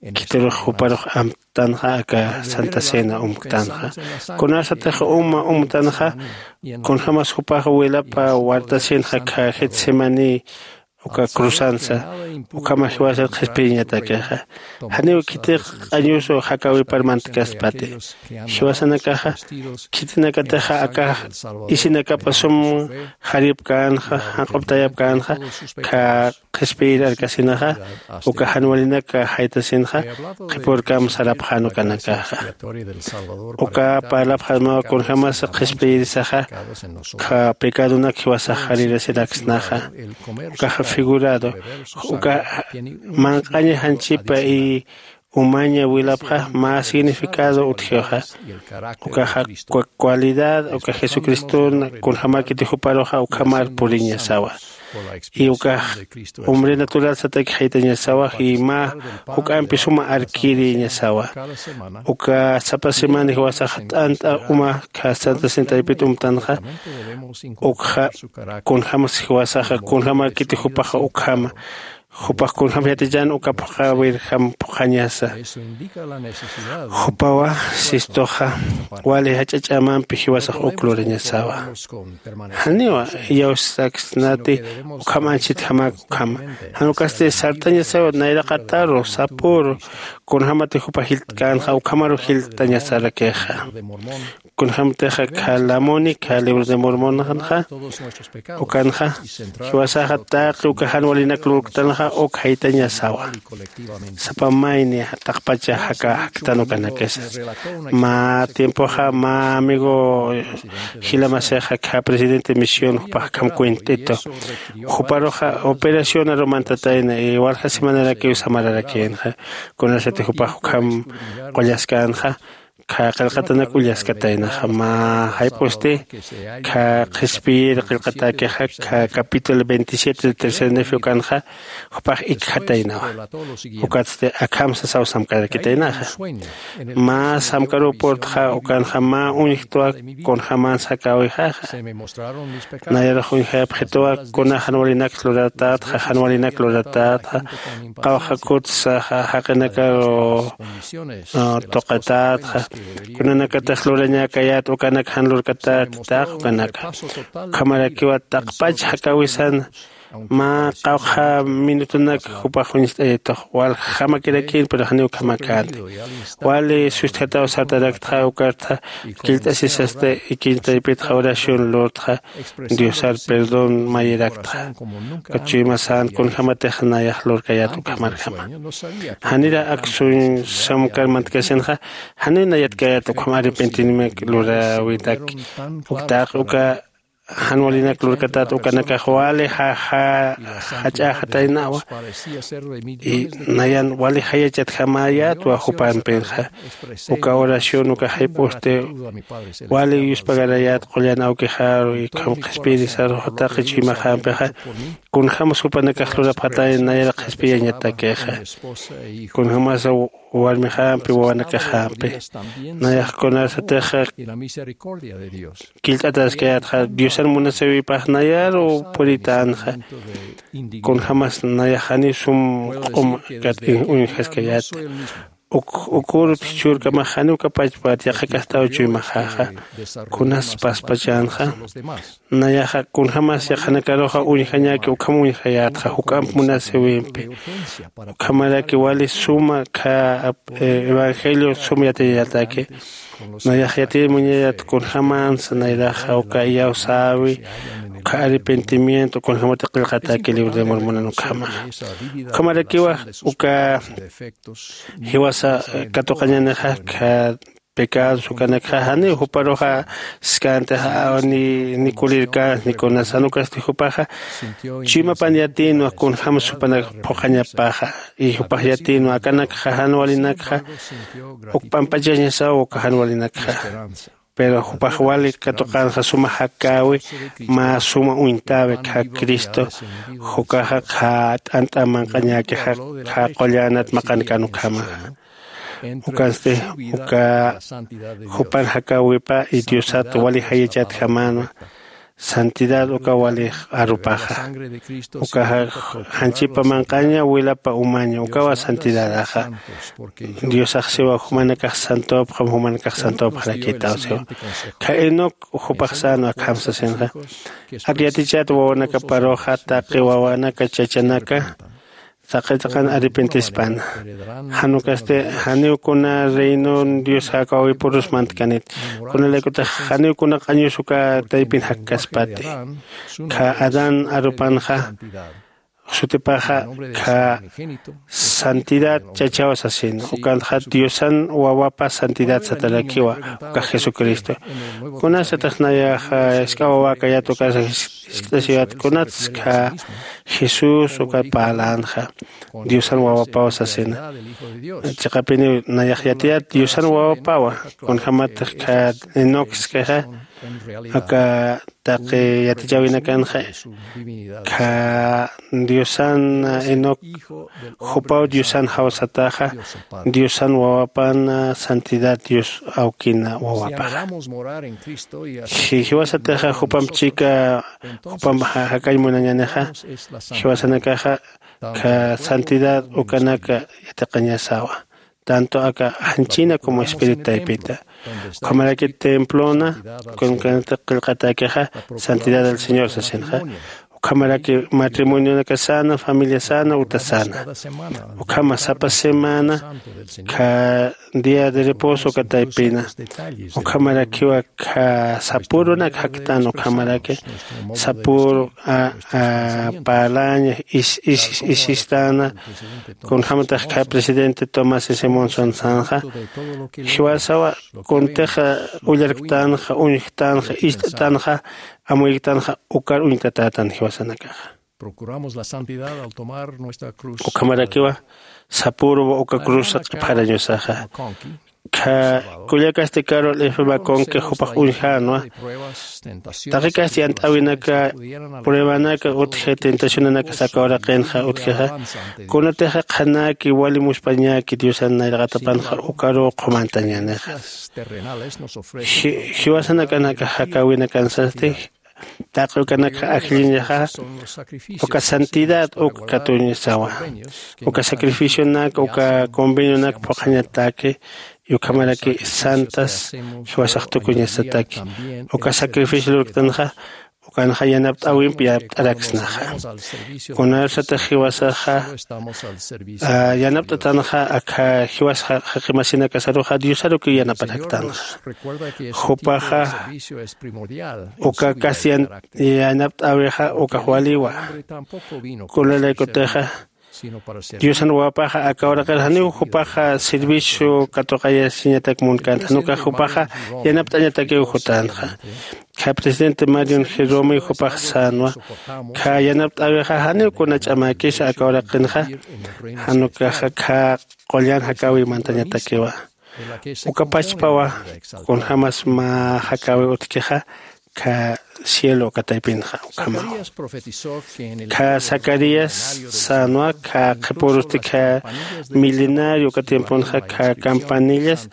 Khitirux juparux amtanxa aka santa cena umktanxa. Kunasatix uma umtanxa kunjämas jupax wilapa wartasinxa kha getsemaní uka cruzansa ukhamax jiwasar qhispiyiñatakixa. Janiw khitix q'añusu jakäwipar mantkaspati. Jiwasanakaxa khitinakatixa aka isinakapa sum jaripkänxa janq'uptayapkänxa kha qhispiyir arkasinaxa uka jan walinak jaytasinxa qhipürkam sarapxän ukanakaxa. Uka parlapxasmawa kunjämasa qhispiyirisaxa kha pecadonak jiwasax jarirasiraksnaxa. Ukaxa figurado uka manq'aña janchipa y umaña wilapxa mä significado utjixa. Ukaxa cualidad uka jesucristona kunjämäkiti juparuxa ukhamar puriñasawa. Y ukax hombre natural sataki jaytañasawa y mä juk'ampi suma arkiriñasawa. Uka sapa semana jiwasaxa t'ant'a uma khasanta sintaypit umtanxa. Ukxa kunjämas jiwasaxa kunjämäkiti jupaxa ukhama jupax kunjämas yatichan uka phuqhawirjam phuqhañasa. Jupawa sistuxa wali jach'a ch'amampi jiwasax uk lurañasawa. Janiwa iyawsaksnati ukham anchhitjamak ukhama. Jan ukasti sartañasawa nayraqataru sapüru kunjämati jupa jilt'känxa ukhamaru jilt'tañasarakixa. Kunjämtixa kha lamuni kha libro de mormonanxa ukanxa jiwasaxa taqi uka jan walinak lurktanxa uk jaytañasawa. Sapa mayni taqpacha jaka jaktan ukanakisa. Mä tiempoxa mä amigo jilamasixa kha presidente misión jupax akham cuent'itu. Juparuxa operacionaru mantatayna y walja semanarakiw samararakïnxa. Kunasati jupax ukham qullaskänxa kha qillqatanak ullaskataynaxa mä jayp'usti kha qhispiyir qillqatäkixa kha capítulo veintisiete de tercer nefe ukanxa jupax ikjataynawa. Ukatsti akham sasaw samkarakitaynaxa mä samkaruw purtxa ukanxa mä uñjtwa kunjämans jakäwixaxa. Nayarux uñjayapxituwa kuna jan walinak luratätxa jan walinak luratätxa qawqha kutsa jaqinakaru tuqitätxa kunanakatix lurañäkayät ukanak jan lurkatäti taq ukanaka. Ukhamarakiwa taqpach jakäwisana mä qawqha minutunak jupax uñst'ayitux waljamakirakïn pero janiw ukhamakänti. Wali sustjataw sartaraktxa ukartxa killt'asisasti ikiñ taypitxa oración lurtxa diosar perdón mayiraktxa. Ukat chuyma sän kunjämatix nayax lurkayät ukhamarjama. Janira aksuñ samkar mantkasinxa janiw nayatkayät ukham arrepentimiento luräwinak. Uktaq uka jan walinak lurkatat ukanakax wali jach'äxataynawa. Y nayan wali jayachatjamäyätwa jupampinxa. Uka oración uka jayp'usti wali yuspagarayät qullan awkixaru y ukham qhispiyirisarux taqi chuymaxampixa kunjämas jupanakax lurapxatay nayar qhispiyañatakixa. Kunjämasa warmixampi wawanakaxampi nayax kunasatixa killt'ataskayätxa diosan munasïwipax nayaru puritänxa. Kunjämas nayax janiw sum q'um uñjaskayäti. Uk urut jichhürkamax janiw kapachpat yaqhakastaw chuymaxaxa kunas paspachänxa. Nayaxa kunjämas yaqhanakaruxa uñjañäki ukham uñjayätxa juk'amp munasïwimpi. Ukhamaraki wali suma kha evangelio sum yatiñataki. Nayax yatiñ muñayät kunjämansa nayraxa uka iyawsäwi uka arrepentimiento kunjämati qillqatäki libro de mormonan ukhamaxa. Ukhamarakiwa uka jiwasa katuqañanixa kha pecados ukanakxa janiw juparuxa siskäntix ni kulirkäns ni kunas jan ukasti jupaxa chuymapan yatïnwa kunjämas jupanak phuqhañapaxa. Y jupax yatïnwa akanakxa jan walinakxa uk p'ampachañasaw uka jan walinakxa. Pero jupax wali katuqänxa suma jakäwi mä suma uñtäwi khä cristo jukaxa khä t'ant'a manq'añäkixa khä qullanat maqankan ukhamaxa. Ukansti uka jupan jakäwipa y diosat wali jayachatjamänwa. Santidad uka walix arupaxa ukaxa janchipa manq'aña wilapa umaña ukawa santidadaxa. Diosax siwa jumanakax santopxam jumanakax santopxarakïtaw siwa. Kha enoc jupax sänwa akham sasinxa ak yatichat wawanakaparuxa taqi wawanaka chachanaka saqitaqan arrepentispana. Jan ukasti janiw kuna reinon dios jakäwipurus mantkanit. Kunalaykutix janiw kuna q'añus uka taypin jakkaspati. Kha adán arupanxa sutipaxa kha santidad chachaw sasin, ukanxa diosan wawapa santidad satarakiwa, ukax jesucristo. Kunasatix nayaxa isk'a wawakayat ukasa jiskt'asiwat kunatskha jesús uka parlanxa diosan wawapaw sasina. Chiqapiniw nayax yatiyat diosan wawapawa. Kunjämatix kha enocskixa aka taqi yatichäwinakanxa kha diosan enoc jupaw diosan jawsataxa diosan wawapan santidad dios awkina wawapaxa. Jiwasatixa jupamp chika jupamp jakañ munañänixa jiwasanakaxa kha santidad ukanaka yatiqañasawa. Tanto aka janchina como espíritu taypita ukhamaraki templona kunkanata qillqatakixa santidad del señor sasinxa. Ukhamaraki matrimonionaka sana familia sana uta sana ukhama sapa semana kha día de reposo uka taypina. Ukhamarakiwa kha sapurunak jaktan ukhamaraki sapuru parlaña isistana. Kunjämatax kha presidente tomás simonson sanxa jiwasawa kuntixa ullarktanxa uñjtanxa ist'tanxa amuyktanxa ukar uñtatätan jiwasanakaxa. Ukhamarakiwa sapüruwa uka cruzsa q'ipxarañusaxa. Kha kullakasti carol f maconki jupax uñjänwa. Taqikasti yant'äwinaka pruebanaka utji tentacionanaka saka uraqinxa utjixa kunatixa qhanäki wali muspañäki diosan nayraqatapanxa ukaruw qhumantañänixa. Jiwasanakanaka jakäwinakansasti taqi ukanakxa ajlliñaxa uka santidad uk katuñasawa. Uka sacrificionak uka convenionak phuqhañataki ukhamaraki santas jiwasax tukuñasataki. Uka sacrificio lurktanxa ukanxa yanapt'äwimp yanapt'araksnaxa. Kunasatix jiwasaxa yanapt'atanxa akha jiwas jaqimasinakasaruxa diosarukiw yanaparaktanxa. Jupaxa uka casi yanapt'äwixa ukax waliwa. Kunalaykutixa diosan wawapaxa aka uraqir janiw jupaxa servicio katuqayasiñatak munkänta jan ukax jupaxa yanapt'añatakiw jutänxa. Kha presidente marion jeromiw jupax sänwa kha yanapt'äwixa janiw kuna ch'amäkisa aka uraqinxa. Jan ukaxa kha qullan jakäwiw mantañatakiwa. Uka pachpawa kunjämas mä jakäwiw utjkixa kha cielo uka taypinxa ukhamaw. Kha zacarías sänwa kha qhipürusti kha milenario uka tiemponxa kha campanillas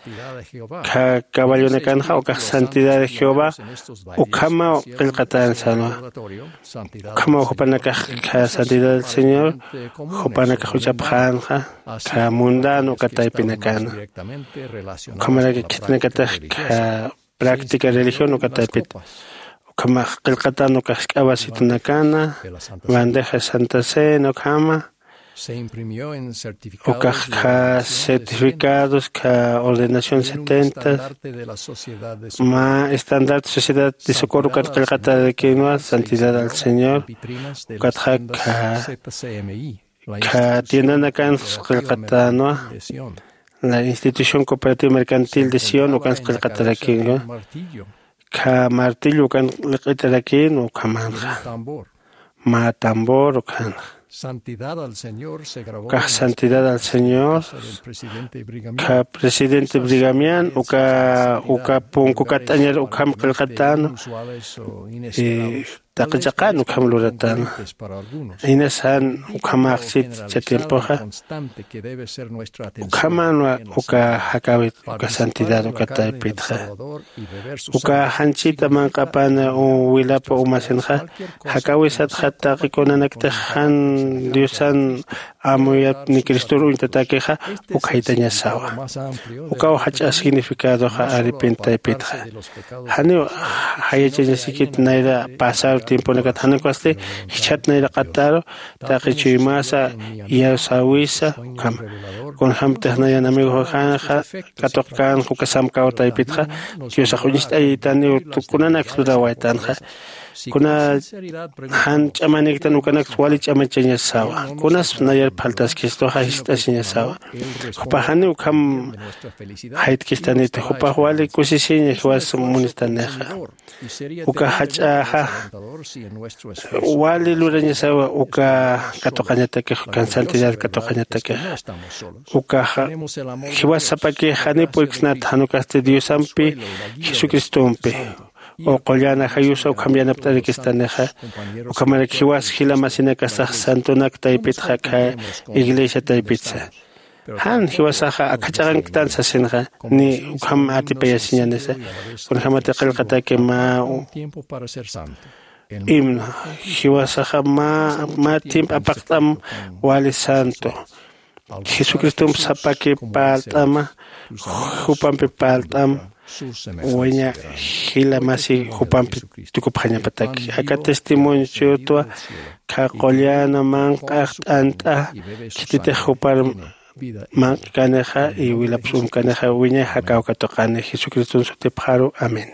kha caballonakanxa ukax santidad de jehová ukhamaw qillqatän sänwa. Ukhamaw jupanakax kha santidad del señor jupanakax uchapxänxa kha mundano uka taypinakana. Ukhamaraki khitinakatix kha práctica religión uka taypit ukhamax qillqatän ukax k'awasitunakana bandeja santa cena ukhama ukax kha certificados kha ordenación setenta mä estandarte sociedad de socorro ukat qillqatarakinwa santidad al señor. Ukatxa kha kha tiendanakansa qillqatänwa la institución cooperativa mercantil de sion ukansa qillqatarakinwa. Kha martillo ukan liq'itarakïnwa ukhamanxa mä tambor ukhanxa. Ukax santidad al señor kha presidente brigamian uka uka punku katt'añar ukham qillqatänwa. Taqi chaqan ukham luratäna. Inas jan ukhamaxsit cha tiempoxa ukhamanwa uka jakäwit uka santidad uka taypitxa. Uka janchita manq'apan wilapa umasinxa jakäwisatxa taqi kunanaktix jan diosan amuyap ni cristor uñtatakixa ukhaytañasawa. Ukaw jach'a significadoxa aripin taypitxa janiw jayachañasikit nayra pasar tiemponakat jan ukasti jichhat nayraqataru taqi chuymasa iyawsäwisa ukhama. Kunjämtix nayan amigoxanxa katuqkänxa uka samkaw taypitxa diosax uñst'ayaytaniw kunanaksa lurawaytanxa. Kuna jan ch'amaniktan ukanaksa wali ch'amachañasawa. Kunaspa nayar phaltaskistuxa jist'asiñasawa. Jupaxani ukham jaytkistaniti, jupax wali kusisiña jiwas munistanixa. Uka jach'axa wali lurañasawa uka katuqañatakix, ukan santidad katuqañatakix. Ukaxa jiwas sapakix janiw puriksnat, jan ukasti Diosampi, Jesucristompi. O qullan ajayusa ukham yanapt'arikistanixa, ukhamarak jiwas jila masinakasax santonak taypitxa, akha iglesia taypitsa. Jan jiwasaxa akhach'axanktan sasinxa, ni ukham atipayasiñanisa. Kunjämati qillqataki mä himno, jiwasaxa mä, mä tiempo apaqt'am wali santo. Jesucristomp sapaki parlt'ama, jupampi parlt'am, waña jila masi jupampi tukupxañapataki. Aka testimonio chuytwa, kha qullan manq'ax t'ant'a, khititix jupar manq'kanixa y wilapsumkanixa, wiñay jakaw katuqani Jesucriston sutipxaru. Amén.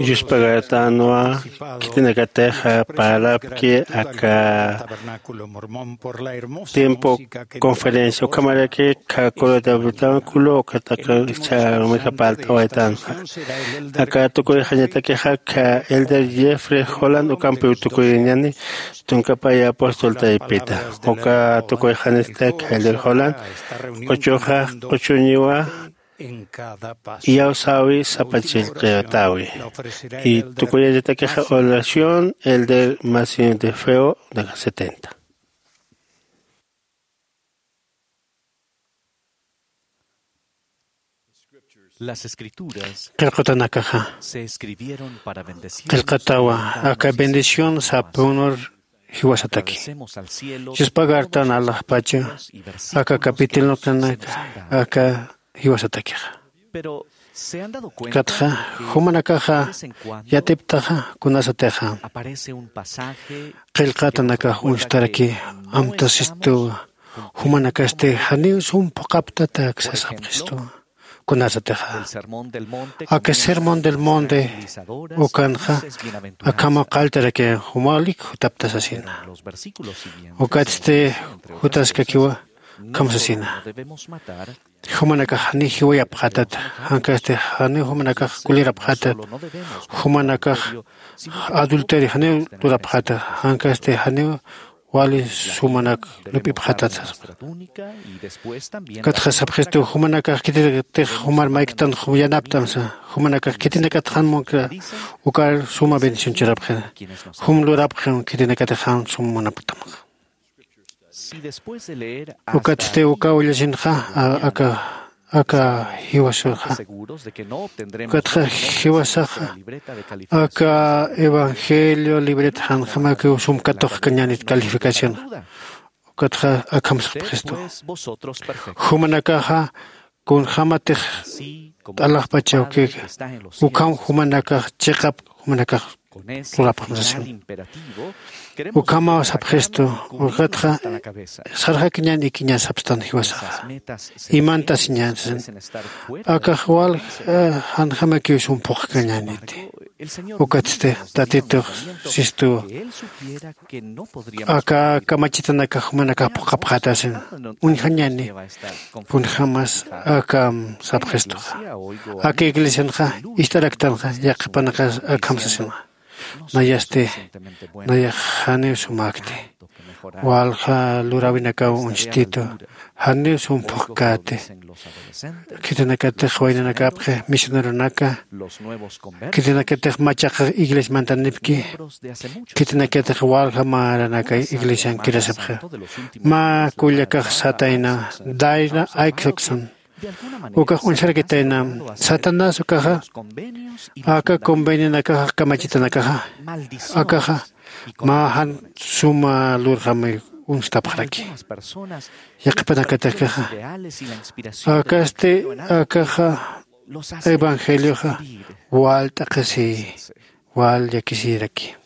Yuspagartanwa khitinakatix parapki aka tiempo conferencia ukhamaraki kha coro tabernáculo ukataka chharumixa parlt'awaytanxa. Aka tukuyxañatakixa kha elder Jeffrey Holland ukampiw tukuyñani, tunkapaya apóstol taypita. Uka tukuyxanista kha elder Holland q'uchuxa q'uchuñiwa iyawsäwi sapa chillqitawi. Y tukuyañatakixa oración elder Masin de Feo de setenta. Las escrituras qillqatanakaxa se escribieron para bendecir qillqatawa aka bendición sapunur jiwasataki. Agradecemos al cielo. Yuspagartan alaxpacha aka capítulo kanaka aka jiwasatakixa. Pero se han dado cuenta katxa que jumanakaxa yatiptaxa kunasatixa aparece un pasaje qillqatanakax uñstaraki amtasistuwa jumanakasti janiw sum phuqaptatak sasxapxistuwa. Kunasatixa aka sermón del monte ukanxa akhama qalltaraki jumalik jutapta sasina. Ukatsti jutaskakiwa akham sasina. Jumanakax janiw jiwayapxätata jankasti janiw jumanakax kulirapxätata jumanakax adulterio janiw lurapxäta jankasti janiw wali sumanak lup'ipxätat saspa. Katxa sapxistu jumanakax khitinakatix jumar mayktan yanaptamsa jumanakax khitinakatix jan munkra ukar suma bendición churapxi. Jum lurapxi khitinakatix jan sum munaptamxa. Ukatsti uka ullasinxa aka aka jiwasaxa ukatxa jiwasaxa aka evangelio libreta janjamakiw sum katuqkañänit calificación. Ukatxa akham sapxistu jumanakaxa kunjämatix t'alaxpachawkïki ukham jumanakax chiqap jumanakax lurapxam sasin. Ukhamaw sapxistu ukatxa sarxakiñän ikiñä sapstan jiwasaxa imantasiñän sasin. Akax walja janjamakiw sum phuqkañäniti. Ukatsti tatitux sistuwa aka kamachitanakax jumanakax phuqhapxätasin uñjañäni. Kunjämas akham sapxistuxa aka iglesianxa ist'araktanxa yaqhipanakax akham sasinxa. Nayasti nayax janiw sumäkti walja luräwinakaw uñstitu janiw sum phuqkäti. Khitinakatix waynanakapxi misioneronaka khitinakatix machaqa iglesia mantanipki khitinakatix walja maranaka iglesian kirasipxi. Mä kullakax satayna dayna ayksaksna ukax uñsarakitayna satanás ukaxa aka convenionakaxa kamachitanakaxa akaxa mä jan suma lurjami uñstapxaraki. Yaqhipanakatix akaxa akasti akaxa evangelioxa wal t'aqhisi wal llakisiraki.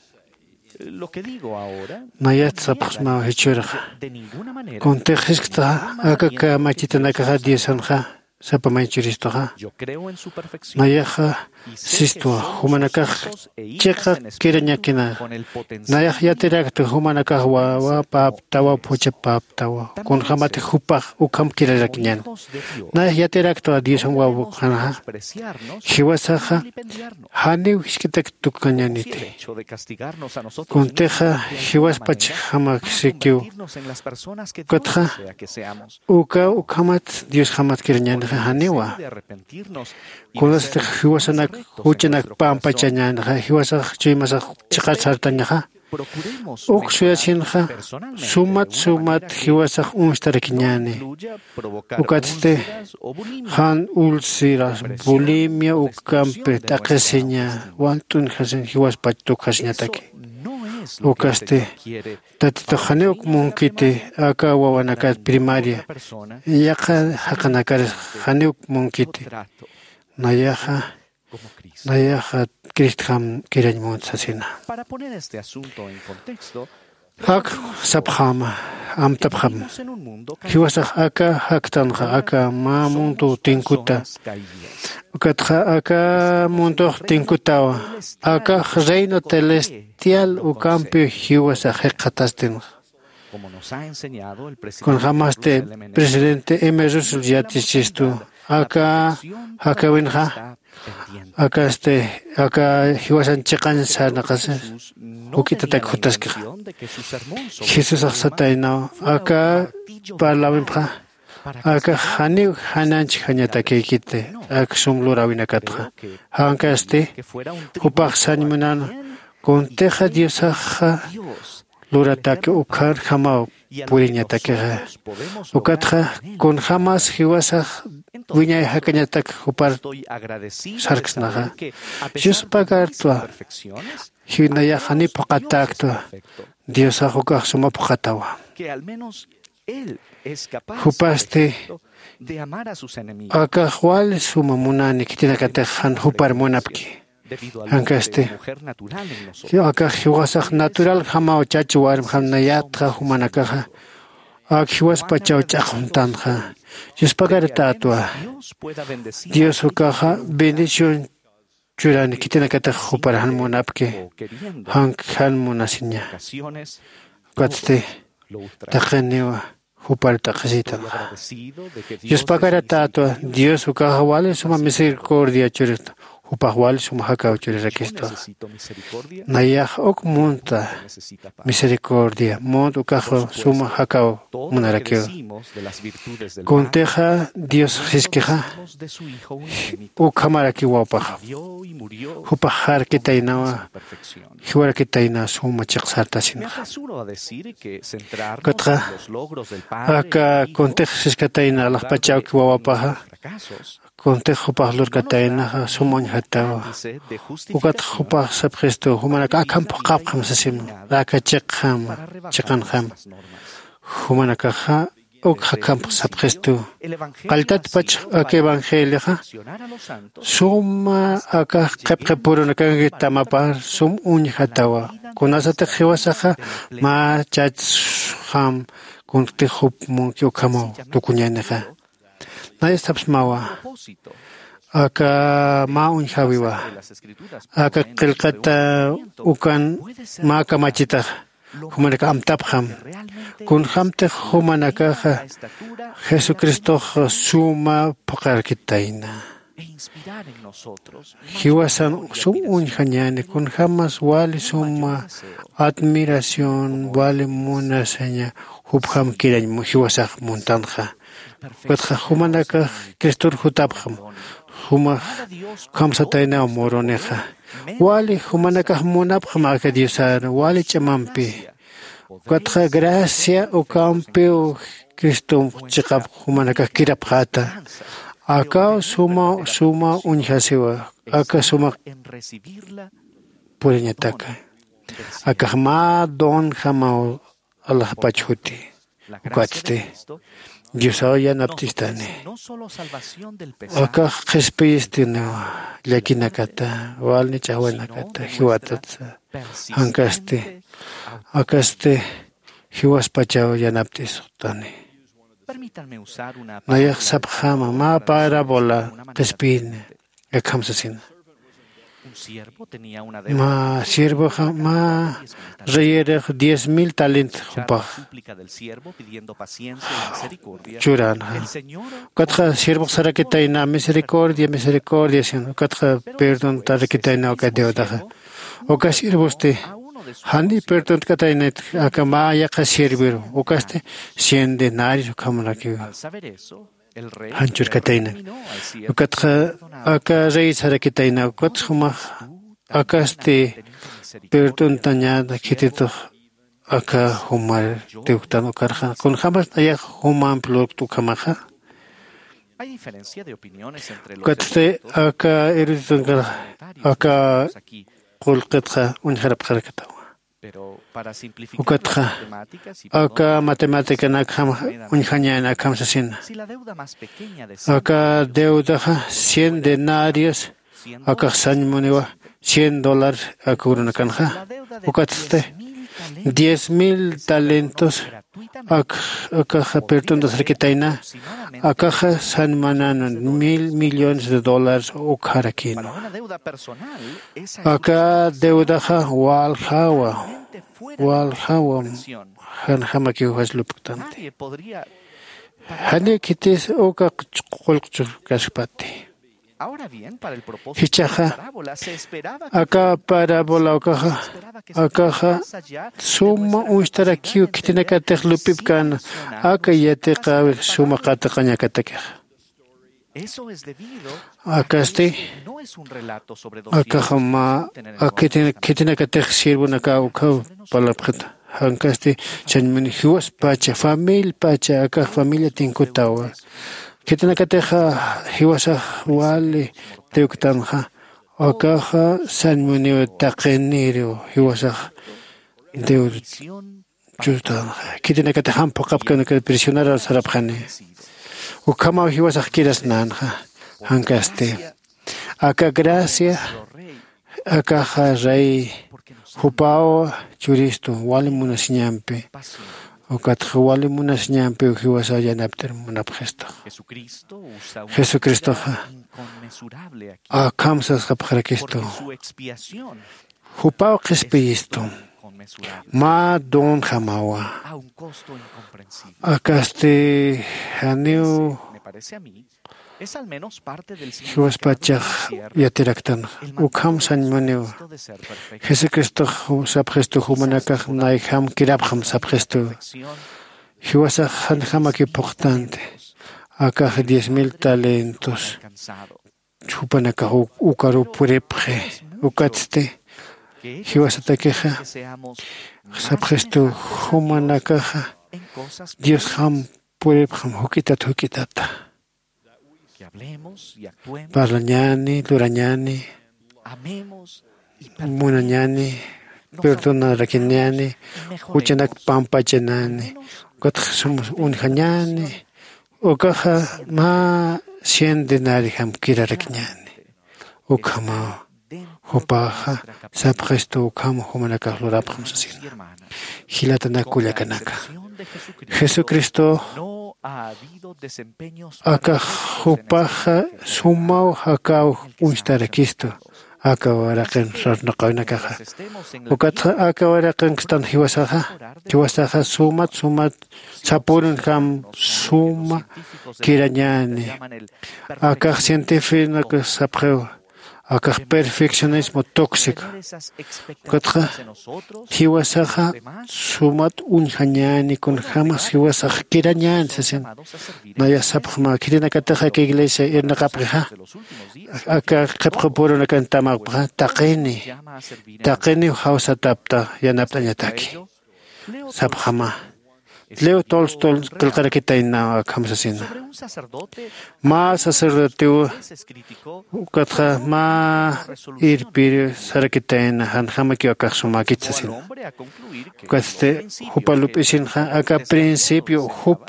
Nayat sapxsmaw jichhürxa kuntix jisktaxa aka kamachitanakaxa diosanxa sapa maychuristuxa. Nayaxa sistwa jumanakax chiqa kirañakina. Nayax yatiraktu jumanakax wawa päptawa phucha päptawa kunjämatix jupax ukham kirarakiñäni. Nayax yatiraktwa diosan wawakxanxa jiwasaxa janiw jisk'itak tukkañäniti. Kuntixa jiwaspachjamaksikiw ukatxa uka ukhamat diosjamat kirañänixa janiwa. Kunasatix jiwasanak juchanak pampachañänixa jiwasax chuymasax chiqat sartañaxa uk suyasinxa sumat sumat jiwasax uñstarakiñäni. Ukatsti jan ulceras bulimia ukampi t'aqhisiña wal t'uñjasin jiwaspach tukjasiñataki. Ukasti tatitux janiw uk munkiti aka wawanakat primaria yaqha jaqinakaris janiw uk munkiti. Nayaxa nayaxa cristjam kirañ munt sasina. Ak sapxäma, amtapxam. Jiwasax aka jaktanxa, aka mä mundu tinkuta. Ukatxa aka mundux tinkutawa. Akax reino celestial ukampi jiwasax jikxatastinxa. Kunjämasti presidente M. Russell yatichistu, aka jakäwinxa, akasti, aka jiwasan chiqañ sarnaqasi, juk'itatak jutaskixa. Jesusax sataynaw, aka parlawinpxa, aka janiw janañch jañatakïkiti, ak sum luräwinakatxa. Jankasti, jupax sañ munäna, kuntixa Diosaxa lurataki ukharjamaw puriñatakixa. Ukatxa kunjämas jiwasax wiñay jakañatak jupar sarksnaxa. Yuspagartwa, jinayax janiw phuqhatäktwa, Diosax ukax suma phuqhatawa. Jupasti akax wali suma munani khitinakatix jan jupar munapki. Jankasti, akax jiwasax natural jamaw chach warmjam nayatxa jumanakaxa, ak jiwaspachaw ch'aqwamtanxa. Yuspagaratätwa, Dios ukaxa bendición churani khitinakatix jupar jan munapki, jank jan munasiña. Ukatsti, taqiniwa jupar t'aqhisïtanxa. Yuspagaratätwa, Dios ukaxa wali suma misericordia churista, jupax wali suma jakaw churirakistwa. Nayax uk munta misericordia, munt ukaxa suma jakaw munarakiw. Kuntixa Dios jiskixa, ukhamarakiw wawpaxa. Jupax jarkitaynawa, jiwarakitayna suma chiqsartasinxa. Ukatxa, aka kuntix siskatayna alaxpachawki wawapaxa, kuntix jupax lurkataynaxa sum uñjatawa. Ukatxa jupax sapxistu, jumanakax akham phuqhapxam sasim, aka chiqjam, chiqanjam. Jumanakaxa uk jakhamp sapxistu. Qalltatpach aka evangelioxa suma aka qhipqipurunakankit tamapar sum uñjatawa. Kunasatix jiwasaxa mä chachsxam kuntix jup munki ukhamaw tukuñänixa. Nay sapsmawa. Aka mä uñjäwiwa. Aka qillqata ukan mä kamachitaxa. Jumanakax amtapxam. Kunjämtix jumanakaxa Jesucristox suma phuqharkitayna. Jiwasan sum uñjañäni, kunjämas wali suma admiración, wali munasiña, jupjam kirañ mu-, jiwasax muntanxa. Ukatxa jumanakax Cristor jutapxam, jumax kamsataynaw murunixa. Wali jumanakax munapxam aka Diosar, wali ch'amampi. Ukatxa gracia ukampiw Cristom chiqap jumanakax kirapxäta. Akaw suma, suma uñjasiwa, aka suma puriñataka. Akax mä donjamaw alaxpach juti. Ukatsti, Diosaw yanapt'istani. Akax qhispiyistiniwa, llakinakata, walni ch'awanakata, jiwatatsa. Jankasti, akasti, jiwaspachaw yanapt'istani. Nayax sapxäma, mä parábola qhispiyini, akham sasina. Mä siervoxa, mä reyirix diez mil talent jupax churänxa. Ukatxa siervox sarakitayna, misericordia, misericordia, sino ukatxa perdontarakitayna uka deudaxa. Uka siervosti, jani perdontkataynit aka mä yaqha sierviru, ukasti cien denarios ukhamarakiwa. Jan churkatayna. Ukatxa aka rey sarakitayna, ukatxa jumax akasti perdontañäna khititux aka jumar tiwktan ukarxa. Kunjämas nayax jumamp lurkt ukhamaxa. Ukatsti aka eruditonkar aka qullqitxa uñjarapxarakatawa. Ukatxa, aka matemáticanakjam uñjañäni akham sasina. Aka deudaxa cien denarios, akax sañ muniwa cien dólares aka urunakanxa. Ukatsti, Diez mil talentos. Akaxa perdonasrakitayna. Akaxa sanmananun mil millones de dólares ukxarakinu. Aka deudaxa waljawa waljawa janjamakiw jaslupktanti. Janiw khitis uka qullqchukkaskpati. Jichhaxa aka parabola ukaxa akaxa suma uñstarakiw khitinakatix lup'ipkän aka yatiqäwi suma qatiqañakatakixa. Akasti akaxa mä khitinakatix sirvunakaw ukhaw parlapxita. Jankasti chañmuni jiwaspacha familiapacha akax familia tinkutawa. Khitinakatixa jiwasax wali tiwktanxa akaxa sañmuniw taqiniriw jiwasax deuda. Chutanxa khitinakatix jam phuqhapkanakat prisionerar sarapxani. Ukhamaw jiwasax kirasnänxa. Jankasti aka gracia akaxa rey jupaw churistu wali munasiñampi. Ukatxa wali munasiñampiw jiwasaw yanapt'ir munapxistu. Jesucristoxa akham sasxapxarakistu. Jupaw qhispiyistu mä donjamawa. Akasti janiw jiwaspachax yatiraktanxa ukham sañmuniw. Jesucristox sapxistu jumanakax nayjam kirapxam sapxistu. Jiwasax janjamakiw phuqtanti akax diez mil talentos. Jupanakax ukaruw puripxi. Ukatsti jiwasatakixa sapxistu jumanakaxa diosjam puripxam juk'itat juk'itata parlañäni lurañäni munañäni perdonarakiñäni juchanak pampachanäni ukatxa sum uñjañäni. Ukaxa mä cien denariojam kirarakiñäni. Ukhamaw jupaxa sapxistu ukham jumanakax lurapxam sasina. Jilatanak kullakanaka jesucristox akax jupaxa sumaw jakaw uñstarakistu. Aka waraqin sarnaqawinakaxa ukatxa aka waraqinkstan jiwasaxa jiwasaxa sumat sumat sapürunjam suma kirañäni. Akax científiconak sapxiw akax perfeccionismo tóxico. Ukatxa jiwasaxa sumat uñjañäni kunjämas jiwasax kirañäni sasin. Nayax sapxma khitinakatix aka iglesia irnaqapxixa aka qhipqapürunakan tamapxxa taqini taqiniw jawsatapta yanapt'añataki. Sapxama leo tolstol qillqarakitaynaw akham sasina. Mä sacerdotew ukatxa mä irpir sarakitayna janjamakiw akax sumäkit sasina. Ukatsti jupa lup'isinxa aka principio jup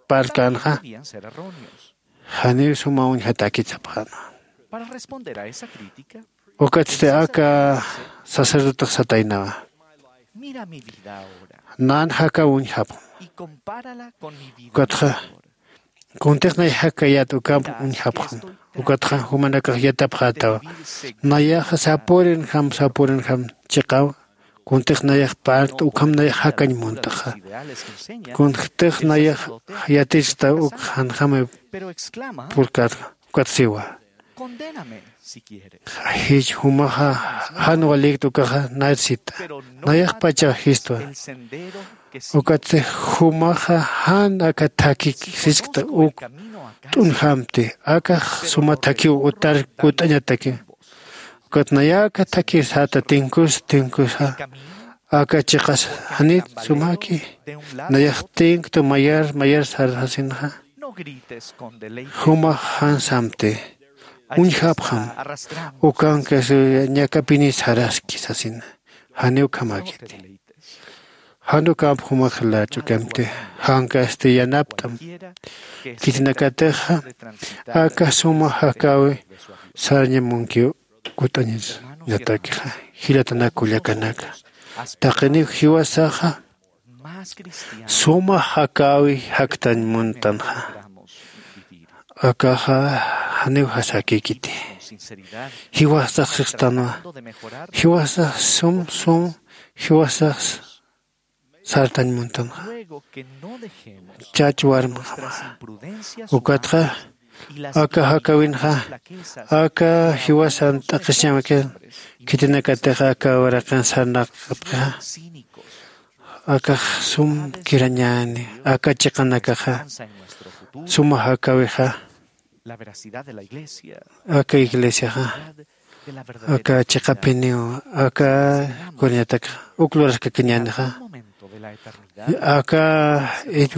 parlkänxa janiw suma uñjatäkit sapxäna. Ukatsti aka sacerdotex sataynawa nan jakaw uñjapxam. Ukatxa kuntix nay jakayät ukamp uñjapxam. Ukatxa jumanakax yatapxätawa nayaxa sapürinjam sapürinjam chiqaw kuntix nayax parlta ukham nayax jakañ munt'xa. Kuntix nayax yatichkta uk janjamay purkärxa. Ukat siwa jich jumaxa jan walïkta ukaxa nayrïsita. Nayaxpachax jistwa. Ukatsti jumaxa jan aka thakik siskta uk t'unjamti akax suma thakiw utar kut'añataki. Ukat naya aka thakir säta tinkus tinkusa aka chiqas janit sumaki nayax tinktu mayar mayar sarsasinxa. Jumax jan samti uñjapxam ukankas ñakapinit saraski sasina. Janiw ukhamäkiti jan ukamp jumax lach'ukamti jankasti yanapt'am. Khitinakatixa aka suma jakäwi sarañamunkiw kut'añatakixa. Jilatanak kullakanaka Taqiniw jiwasaxa suma jakäwi jaktañ muntanxa. Akaxa janiw jasakïkiti. Jiwasax sixtanwa. Jiwasax sum sum jiwasax sartañ muntanxa. Chach warmxama ukatxa aka jakäwinxa aka jiwasan t'aqhisiñamakir khitinakatix aka uraqin sarnaqapxixa. Akax sum kirañäni aka chiqanakaxa suma jakäwixa. Aka iglesiaxa aka chiqapiniw aka kunañatakxa uk luraskakiñänixa. Aka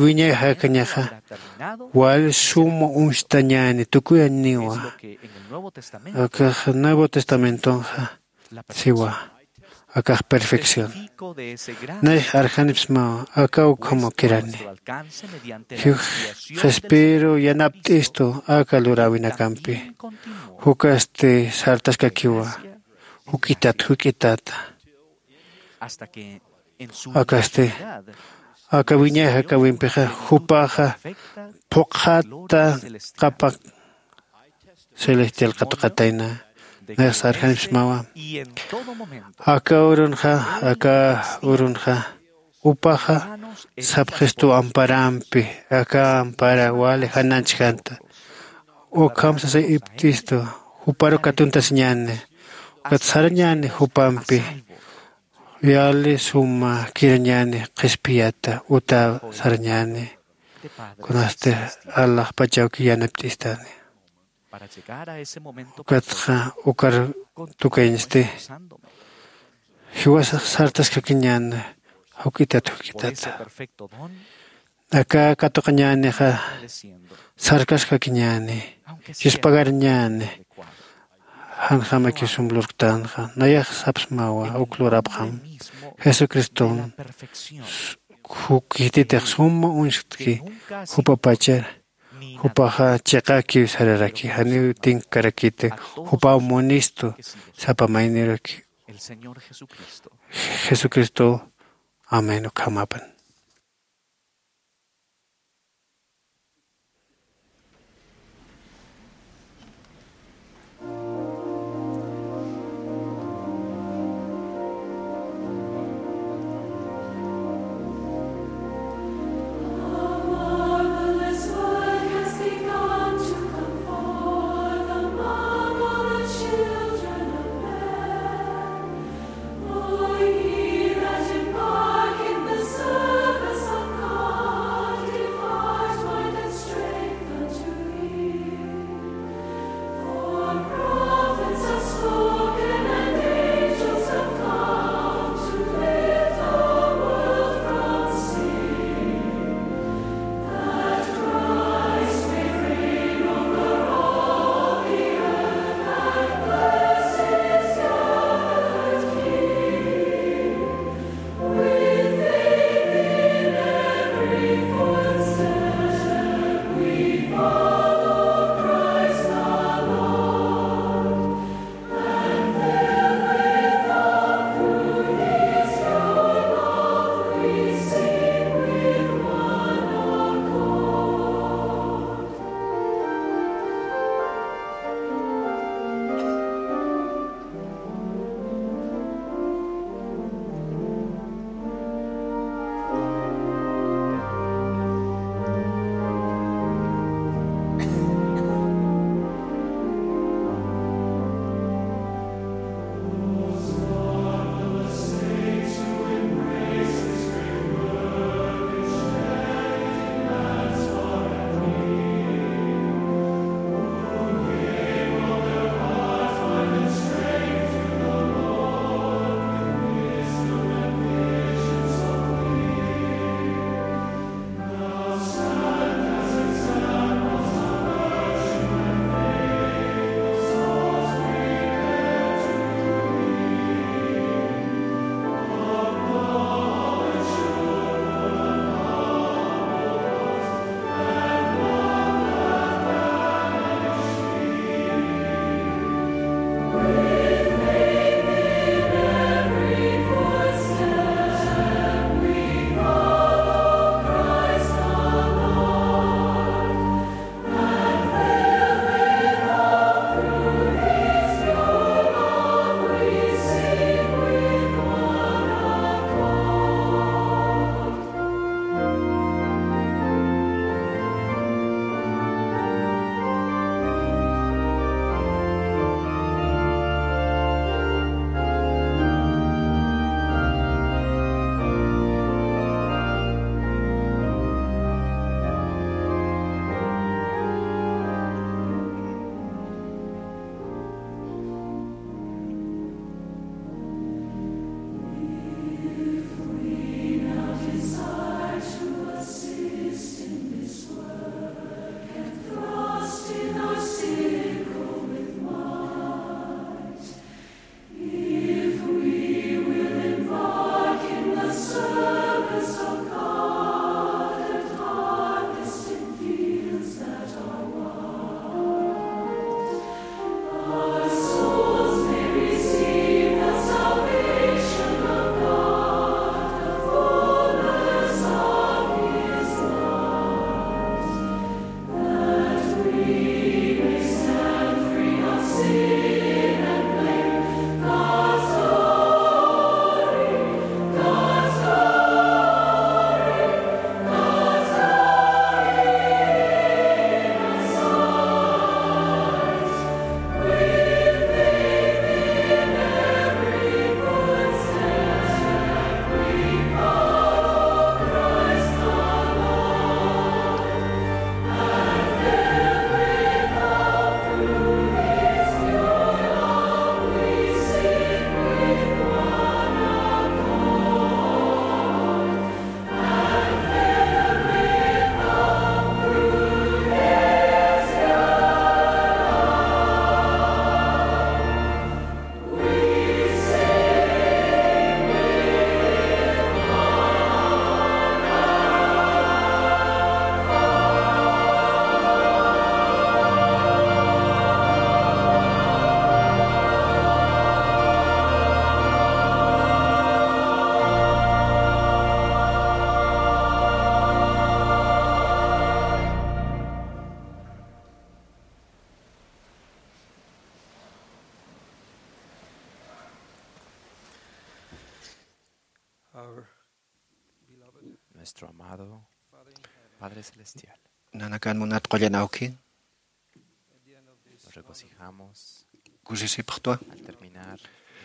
wiñayjakañaxa wal suma uñstañäni tukuyañniwa. Akax nuevo testamentonxa siwa akax perfección. Nayx arjanipsmawa aka ukhamaw kirani. Jix qhispiru yanapt'istu aka luräwinakampi jukasti sartaskakiwa juk'itat juk'itata. Akasti aka wiñay jakäwimpixa jupaxa phuqhata qapa celestial qatuqatayna. Nayxsa arjanipsmawa aka urunxa aka urunxa upaxa sapxistu amparampi aka ampara wali jananchjanta. Ukham sasa iptistu juparu katuntasiñäni ukat sarañäni jupampi yali suma kirañäni qhispiyata uta sarañäni. Kunasti alaxpachawki yanapt'istani ukatxa ukar tukañsti jiwasax sartaskakiñäni juk'itat juk'itata. Aka katuqañänixa sarkaskakiñäni chispagarañäni. Janjamakiw sum lurktanxa nayax sapsmawa uk lurapxam jesucriston jukititix suma uñsktki jupapachar jupaxa chiqakiw sararaki janiw tinkkarakiti jupaw munistu sapa mayniraki. Jesucristo amén ukhamapan. Nuestro amado Padre Celestial. Nanakan munat qullan awki. Nos regocijamos Kusisipxtwa. Al terminar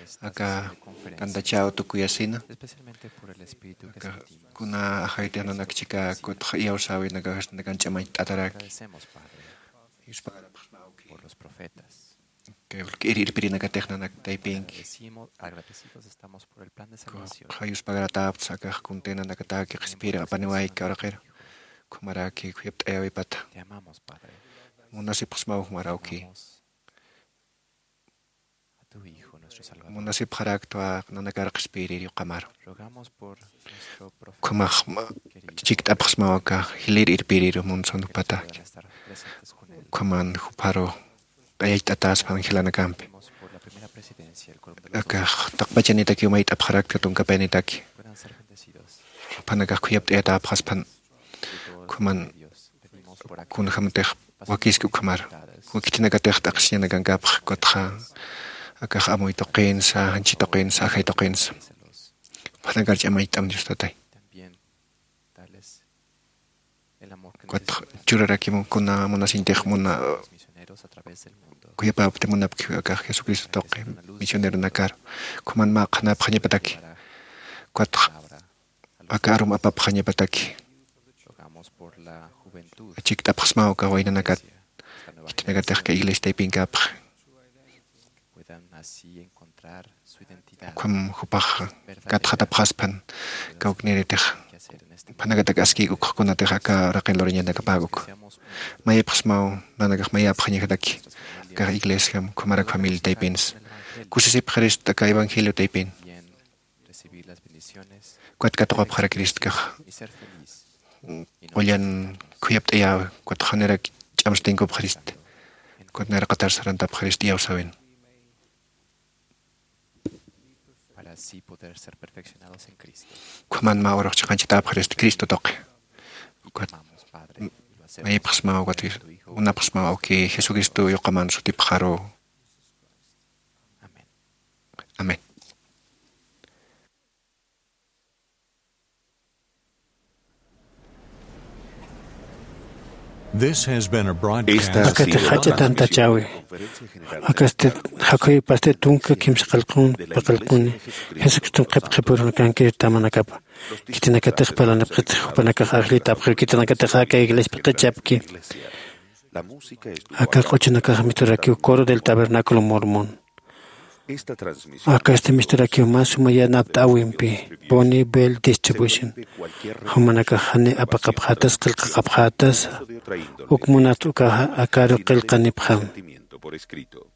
esta Aka sesión de conferencia, tantachaw tukuyasina. Especialmente por el espíritu que Aka sentimos. Kuna ajaytix nanak chika kutx iyawsäwinakax nakan ch'amañcht'ataraki. Agradecemos, Padre, Yuspagarapaxsma awki. Por los profetas. Kay irpirinakatix nanak taypinki. Agradecimos, agradecidos estamos por el plan de salvación. Kay yuspagaratäpxta akax kuntinanakataki qhispiyir apaniwayki uraqir. Ukhamaraki khuyapt'ayäwipata. Te amamos, Padre. Munasipxsmaw ukhamarawki. Amamos a tu Hijo, nuestro Salvador. Munasipxaraktwa nanakar qhispiyirïri ukhamaru. Rogamos por nuestro profeta querido. Ukhamax chikt'apxsmaw aka jilïr irpiriru munsanukpata. Que puedan estar presentes con él. Ukhaman jupharu t'ayayt'atäspan jilanakampi. Pedimos por la primera presidencia, el quórum de los doce. Akax taqpachanitakiw mayt'apxarakta tunkapayanitaki. Puedan ser bendecidos. Juphanakax khuyapt'ayatäpxaspan. Ukhaman kunjämatix wakiski ukhamar. Khitinakatix t'aqhisiñanakankapx kutxa akax amuy tuqinsa, janchi tuqinsa, ajay tuqinsa. Juphanakar ch'amañcht'am Dios Tatay. Kutx churarakimu kuna munasiñtix muna khuyapäpti munapki akax Jesucristo tuqi misioneronakar. Ukhaman mä qhanapxañapataki. Kutx aka arum apapxañapataki. Chikt'apxsmaw aka waynanakat. Khitinakatix aka iglesia taypinkapxi. Ukham jupax katxatapxaspan kawkniritix. Juphanakatak askïk ukxakunatix aka uraqin lurañanakäpxi. Mayapxsmaw nanakax mayapxañajataki. Aka iglesiam ukhamarak familia taypinsa. Kusisipxirist aka evangelio taypin. Ukat katuqapxarakirist akax. Qullan khuyapt'ayäwi, ukat janirak ch'amstinkupxirist. Ukat nayraqatar sarantapxirist iyawsäwin. Ukhaman mä urux chiqanchatäpxirist Cristo tuqi. Ukat mayipxsmaw, ukat munapxsmaw awki Jesucristo yuqaman sutipxaru. Amén. This has been a broadcast. Esta ha sido Akatix jach'a una tantachäwi. Transmisión de la Conferencia General de Akasti jakhuypasti tunka kimsa qillqun paqallquni Jesucriston qhipqhipurunakankir tamanakapa. Khitinakatix parlanipxitix jupanakax ajllitapxir khitinakatix aka iglesiapi qhichapki. Aka q'uchunakax misturakiw Coro del Tabernáculo Mormón. Esta transmisión Akasti misturakiw mä suma yanapt'äwimpi Bonnie Bell Distribution. Jumanakax jani apaqapxätas qillqaqapxätas uk munat ukaxa akaru qillqanipxam. Sentimiento por escrito.